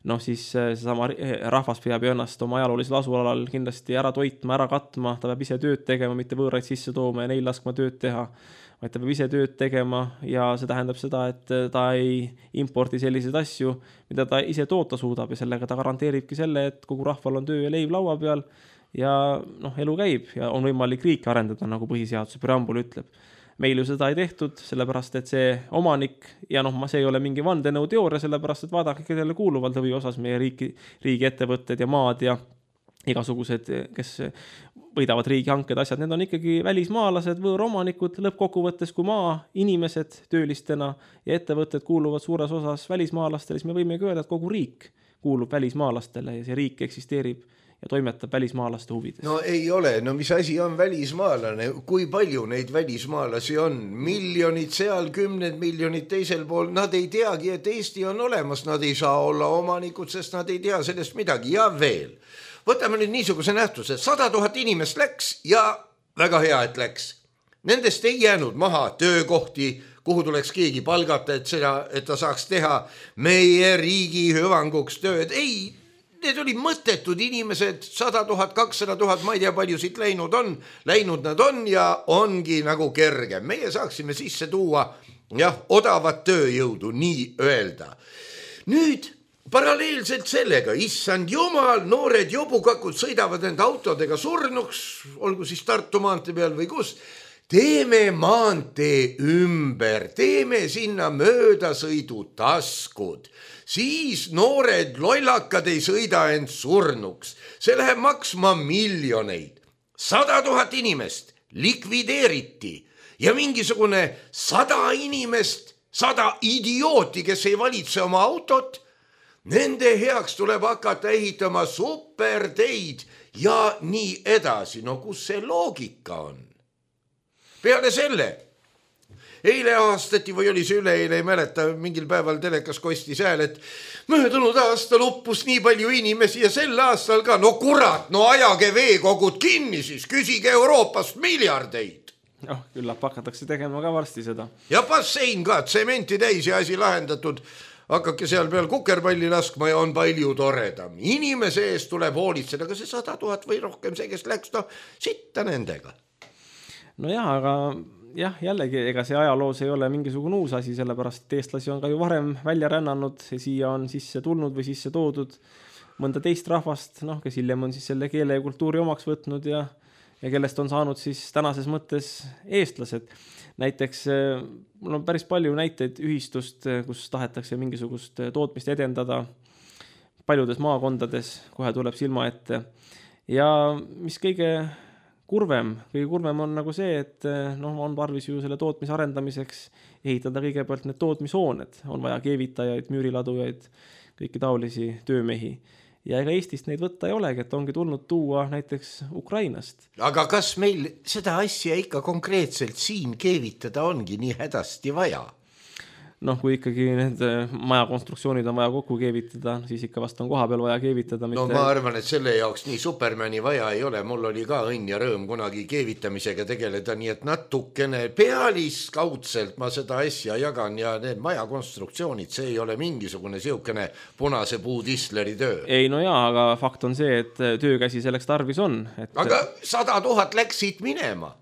noh siis seesama rahvas peab ennast oma ajaloolisel asualal kindlasti ära toitma, ära katma, ta peab ise tööd tegema, mitte võõraid sisse tooma ja neil laskma tööd teha, vaid ta peab ise tööd tegema ja see tähendab seda, et ta ei impordi selliseid asju, mida ta ise toota suudab ja sellega ta garanteeribki selle, et kogu rahval on töö ja leib laua peal ja elu käib ja on võimalik riiki arendada, nagu põhiseaduse preambul ütleb. Meil ju seda ei tehtud, sellepärast et see omanik, ja see ei ole mingi vandenõu teooria, sellepärast et vaadake, kellele kuuluvad lõvi osas meie riigi ettevõtted ja maad ja igasugused, kes võidavad riigihanked asjad, need on ikkagi välismaalased, võõromanikud, lõppkokkuvõttes kui maa, inimesed töölistena ja ettevõtted kuuluvad suures osas välismaalastele, siis me võimegi öelda, et kogu riik kuulub välismaalastele ja see riik eksisteerib ja toimetab välismaalaste huvides. No ei ole, no mis asi on välismaalane, kui palju neid välismaalasi on, miljonid seal, 10 miljonid teisel pool, nad ei teagi, et Eesti on olemas, nad ei saa olla omanikud, sest nad ei tea sellest midagi ja veel. Võtame nüüd niisuguse nähtuse, 100 000 inimest läks ja väga hea, et läks. Nendest ei jäänud maha töökohti, kuhu tuleks keegi palgata, et ta saaks teha meie riigi hüvanguks tööd, ei. Need olid mõttetud inimesed, 100 000, 200 000, ma ei tea, palju siit läinud nad on ja ongi nagu kerge. Meie saaksime sisse tuua odavat tööjõudu, nii öelda. Nüüd paralleelselt sellega, issand jumal, noored jobukakud sõidavad enda autodega surnuks, olgu siis Tartu maantee peal või kus, teeme maantee ümber, teeme sinna möödasõidutaskud. Siis noored lollakad ei sõida end surnuks. See läheb maksma miljoneid. 100 000 inimest likvideeriti ja mingisugune 100 inimest, 100 idiooti, kes ei valitse oma autot, nende heaks tuleb hakata ehitama superteid ja nii edasi. No kus see loogika on? Peale selle... Eile aastati või oli see üleeile, ei mäleta, mingil päeval telekas kostis hääl, et möödunud aasta luppus nii palju inimesi ja sel aastal ka. No kurat, no ajage veekogud kinni siis, küsige Euroopast miljardeid. Küllap hakatakse tegema ka varsti seda. Ja bassein ka, tsementi täis ja asi lahendatud. Hakkake seal peal kukerpalli laskma ja on palju toredam. Inimese eest tuleb hoolitseda, aga see 100 000 või rohkem see, kes läks, sitta nendega. No jah, aga... Jah, jällegi, ega see ajaloos ei ole mingisugune uus asi, sellepärast et eestlasi on ka ju varem välja rännanud ja siia on sisse tulnud või sisse toodud mõnda teist rahvast, kes hiljem on siis selle keele ja kultuuri omaks võtnud ja ja kellest on saanud siis tänases mõttes eestlased. Näiteks mul on päris palju näiteid ühistust, kus tahetakse mingisugust tootmist edendada paljudes maakondades, kohe tuleb silma ette. Ja mis kõige kurvem on nagu see, et on tarvis ju selle tootmise arendamiseks ehitada kõigepealt need tootmishooned, on vaja keevitajaid, müüriladujaid, kõiki taolisi töömehi. Ja ega Eestist neid võtta ei olegi, et ongi tulnud tuua näiteks Ukrainast. Aga kas meil seda asja ikka konkreetselt siin keevitada ongi nii hädasti vaja? Kui ikkagi need majakonstruktsioonid on vaja kokku keevitada, siis ikka vast on koha peal vaja keevitada. No ma arvan, et selle jaoks nii Supermani vaja ei ole. Mul oli ka õnn ja rõõm kunagi keevitamisega tegeleda, nii et natukene pealiskaudselt ma seda asja jagan ja need majakonstruktsioonid, see ei ole mingisugune siukene punase puu tisleri töö. Ei, no jaa, aga fakt on see, et töökäsi selleks tarvis on. Aga 100 000 läksid minema.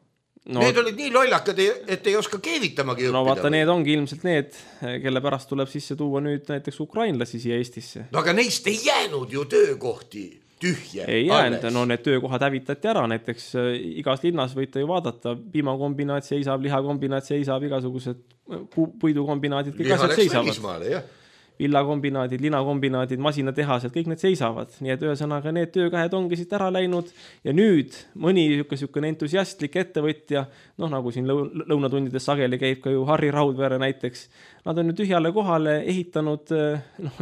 Need olid nii lollakad, et ei oska keevitamagi õppida. No vaata, need ongi ilmselt need, kelle pärast tuleb sisse tuua nüüd näiteks ukrainlasi siia Eestisse. No aga neist ei jäänud ju töökohti tühje. Ei jäänud, need töökohad hävitati ära, näiteks igas linnas võite ju vaadata, piimakombinaat seisab, lihakombinaat seisab, igasugused puidukombinaadid, kõik asjad seisavad. Villakombinaadid, linakombinaadid, masinatehased, kõik need seisavad. Nii et ühesõnaga need töökähed ongi siit ära läinud ja nüüd mõni niisugune entusiastlik ettevõtja, nagu siin lõunatundides sageli käib ka ju Harri Raudvere näiteks, nad on nüüd tühjale kohale ehitanud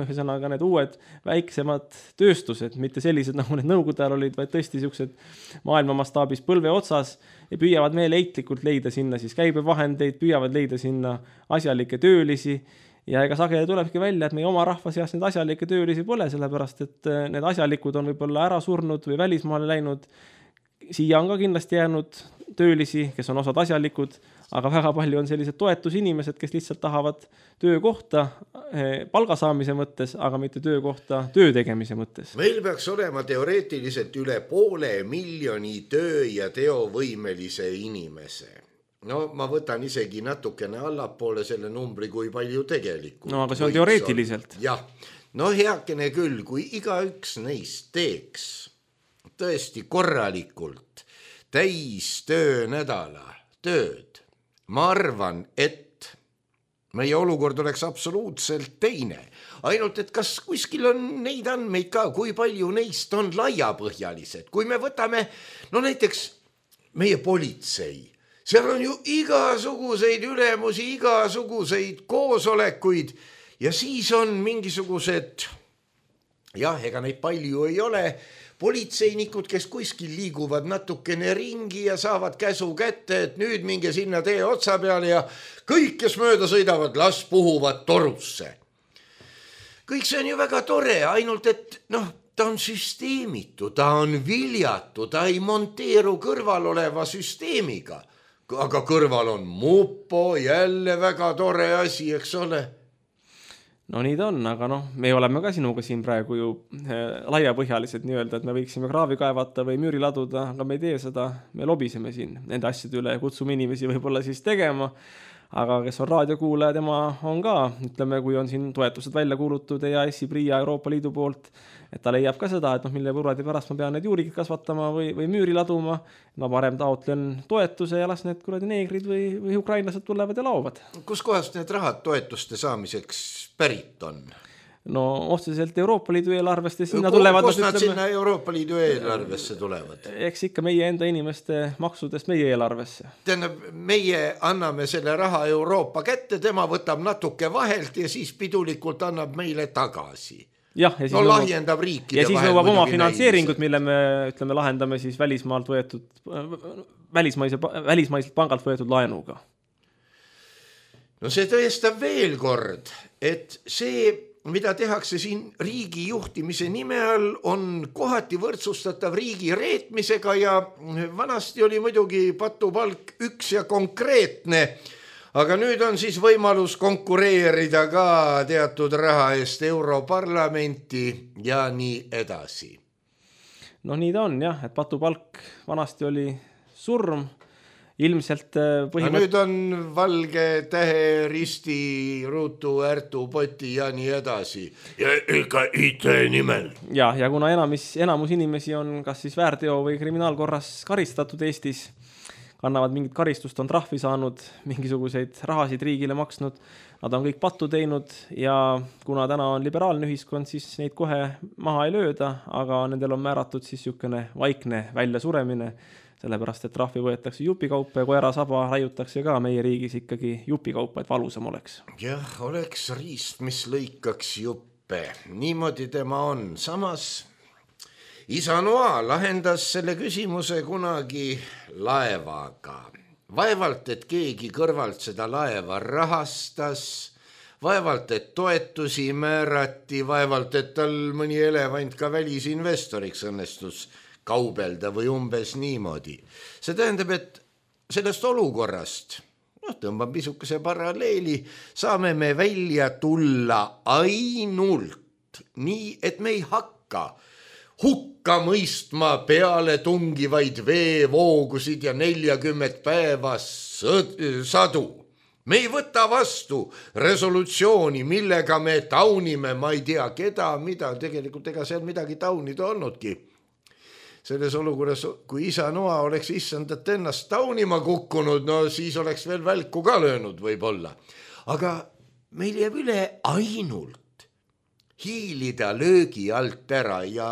ühesõnaga need uued väiksemad tööstused, mitte sellised nagu need nõukogude ajal olid, vaid tõesti niisugused maailma mastaabis põlve otsas ja püüavad meeleheitlikult leida sinna siis käibevahendeid, püüavad leida sinna asjalikke töölisi. Ja ega sageli tulebki välja, et meie oma rahva seas need asjalikke töölisi pole, sellepärast et need asjalikud on võib-olla ära surnud või välismaale läinud. Siia on ka kindlasti jäänud töölisi, kes on osad asjalikud, aga väga palju on sellised toetusinimesed, kes lihtsalt tahavad töökohta palgasaamise mõttes, aga mitte töökohta töö tegemise mõttes. Meil peaks olema teoreetiliselt üle 500 000 töö- ja teovõimelise inimese. No ma võtan isegi natukene allapoole selle numbri, kui palju tegelikult. No aga see on teoreetiliselt. Jah, no heakene küll, kui igaüks neist teeks tõesti korralikult täis töönädala tööd. Ma arvan, et meie olukord oleks absoluutselt teine. Ainult, et kas kuskil on neid andmeid ka, kui palju neist on laiapõhjalised. Kui me võtame, näiteks meie politsei, seal on ju igasuguseid ülemusi, igasuguseid koosolekuid ja siis on mingisugused, ega neid palju ei ole, politseinikud, kes kuskil liiguvad natukene ringi ja saavad käsu kätte, et nüüd minge sinna tee otsa peale ja kõik, kes mööda sõidavad, las puhuvad torusse. Kõik see on ju väga tore, ainult et ta on süsteemitu, ta on viljatu, ta ei monteeru kõrval oleva süsteemiga. Aga kõrval on mupo, jälle väga tore asi, eks ole? No nii ta on, aga me oleme ka sinuga siin praegu ju laiapõhjalised nii-öelda, et me võiksime kraavi kaevata või müüri laduda, aga me ei tee seda, me lobiseme siin nende asjade üle, kutsume inimesi võib-olla siis tegema, aga kes on raadiokuulaja, tema on ka, ütleme, kui on siin toetused välja kuulutud EAS-i, PRIA, Euroopa Liidu poolt, et ta leiab ka seda, et mille võrradi pärast ma pean need juurikid kasvatama või müüri laduma, ma parem taotlen toetuse ja las need kuradi neegrid või ukrainlased tulevad ja laovad. Kus kohast need rahad toetuste saamiseks pärit on? No otseselt Euroopa Liidu eelarvest ja sinna tulevad... Kus nad sinna Euroopa Liidu eelarvesse tulevad? Eks ikka meie enda inimeste maksudest meie eelarvesse. Tähendab, meie anname selle raha Euroopa kätte, tema võtab natuke vahelt ja siis pidulikult annab meile tagasi. Ja siis lahjendab riikide ja siis nõuab oma finantseeringut, mille me lahendame siis välismaalt võetud, välismaiselt pangalt võetud laenuga. No see tõestab veel kord, et see, mida tehakse siin riigi juhtimise nime all, on kohati võrdsustatav riigi reetmisega ja vanasti oli muidugi patupalk üks ja konkreetne, aga nüüd on siis võimalus konkureerida ka teatud raha eest Europarlamenti ja nii edasi. No nii ta on jah, et patupalk vanasti oli surm ilmselt nüüd on valge tähe, risti, ruutu, ärtu, poti ja nii edasi. Ja ega IT nimel. Ja kuna enamus inimesi on kas siis väärteo või kriminaalkorras karistatud Eestis, kannavad mingit karistust, on trahvi saanud, mingisuguseid rahasid riigile maksnud, nad on kõik pattu teinud ja kuna täna on liberaalne ühiskond, siis neid kohe maha ei lööda, aga nendel on määratud siis niisugune vaikne väljasuremine, sellepärast, et trahvi võetakse jupikaupa ja koerasaba raiutakse ka meie riigis ikkagi jupikaupa, et valusam oleks. Jah, oleks riist, mis lõikaks juppe. Niimoodi tema on. Samas isa Noa lahendas selle küsimuse kunagi laevaga. Vaevalt, et keegi kõrvalt seda laeva rahastas, vaevalt, et toetusi määrati, vaevalt, et tal mõni elevant ka välisinvestoriks õnnestus kaubelda või umbes niimoodi. See tähendab, et sellest olukorrast, tõmbab pisukese paralleeli, saame me välja tulla ainult nii, et me ei hakka hukka mõistma peale tungivaid veevoogusid ja 40 päeva sadu. Me ei võta vastu resolutsiooni, millega me taunime, ma ei tea keda, mida, tegelikult ega seal midagi taunida olnudki. Selles olukorras, kui isa Noa oleks issandat ennast taunima kukkunud, no siis oleks veel välku ka löönud võib-olla. Aga meil jääb üle ainult hiilida löögi alt ära ja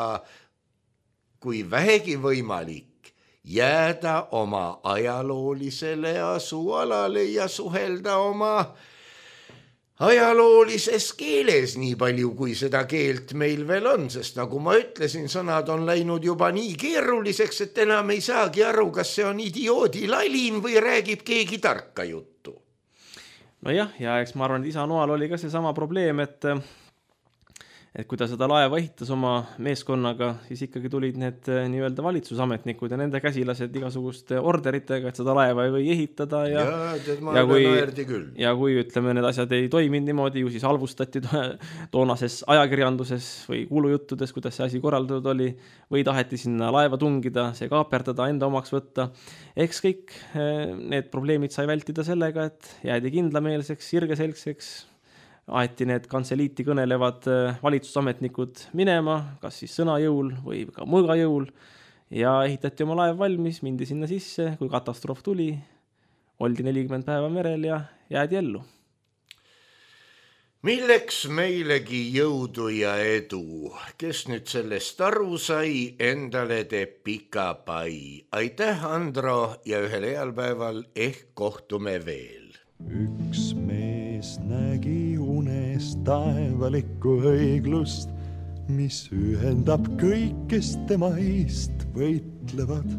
kui vähegi võimalik, jääda oma ajaloolisele asualale ja suhelda oma ajaloolises keeles nii palju, kui seda keelt meil veel on, sest nagu ma ütlesin, sõnad on läinud juba nii keeruliseks, et enam ei saagi aru, kas see on idioodi lalin või räägib keegi tarka juttu. Nojah, ja eks ma arvan, et isa Noal oli ka see sama probleem, et kui ta seda laeva ehitas oma meeskonnaga, siis ikkagi tulid need nii-öelda valitsusametnikud ja nende käsilased igasuguste orderitega, et seda laeva ei või ehitada ja kui ütleme, need asjad ei toiminud niimoodi, ju siis halvustati toonases ajakirjanduses või kuulujuttudes, kuidas see asi korraldatud oli, või taheti sinna laeva tungida, see kaaperdada, enda omaks võtta. Eks kõik need probleemid sai vältida sellega, et jäädi kindlameelseks, sirgeselgseks, aeti need kantseliiti kõnelevad valitsusametnikud minema, kas siis sõnajõul või ka mõõgajõul ja ehitati oma laev valmis, mindi sinna sisse, kui katastroof tuli, oldi 40 päeva merel ja jäädi ellu. Milleks meilegi jõudu ja edu, kes nüüd sellest aru sai, endale teeb pika pai. Aitäh, Andro, ja ühel heal päeval ehk kohtume veel. Üks mees nägi unes taevalikku õiglust, mis ühendab kõik, kes tema eest võitlevad.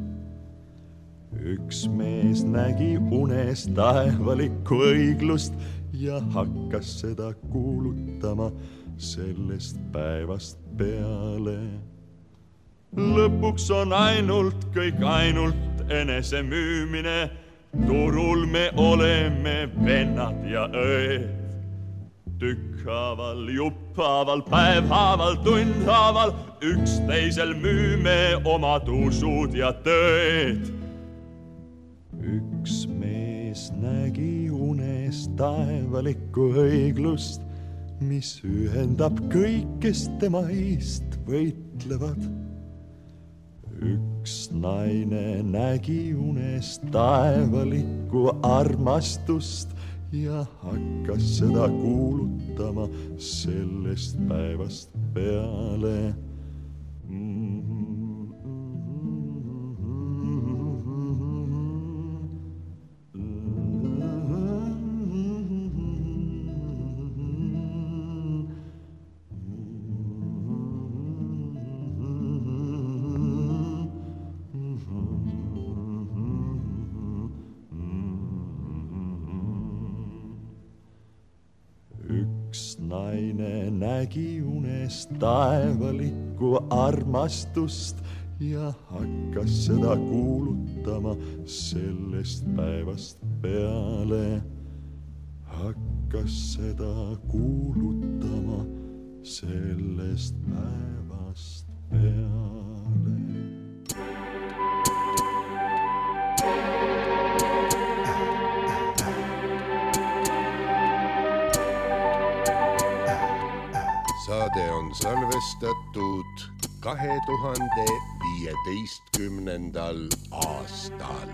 Üks mees nägi unes taevalikku õiglust ja hakkas seda kuulutama sellest päevast peale. Lõpuks on kõik ainult enese müümine, turul me oleme vennad ja õed. Tükkhaaval, jupphaaval, päevhaaval, tundhaaval, üksteisel müüme omad usud ja tõed. Üks mees nägi unes taevalikku õiglust, mis ühendab kõik, kes tema eest võitlevad. Üks naine nägi unes taevalikku armastust ja hakkas seda kuulutama sellest päevast peale. Naine nägi unes taevalikku armastust ja hakkas seda kuulutama sellest päevast peale. Hakkas seda kuulutama sellest päevast peale. on salvestatud 2015. aastal.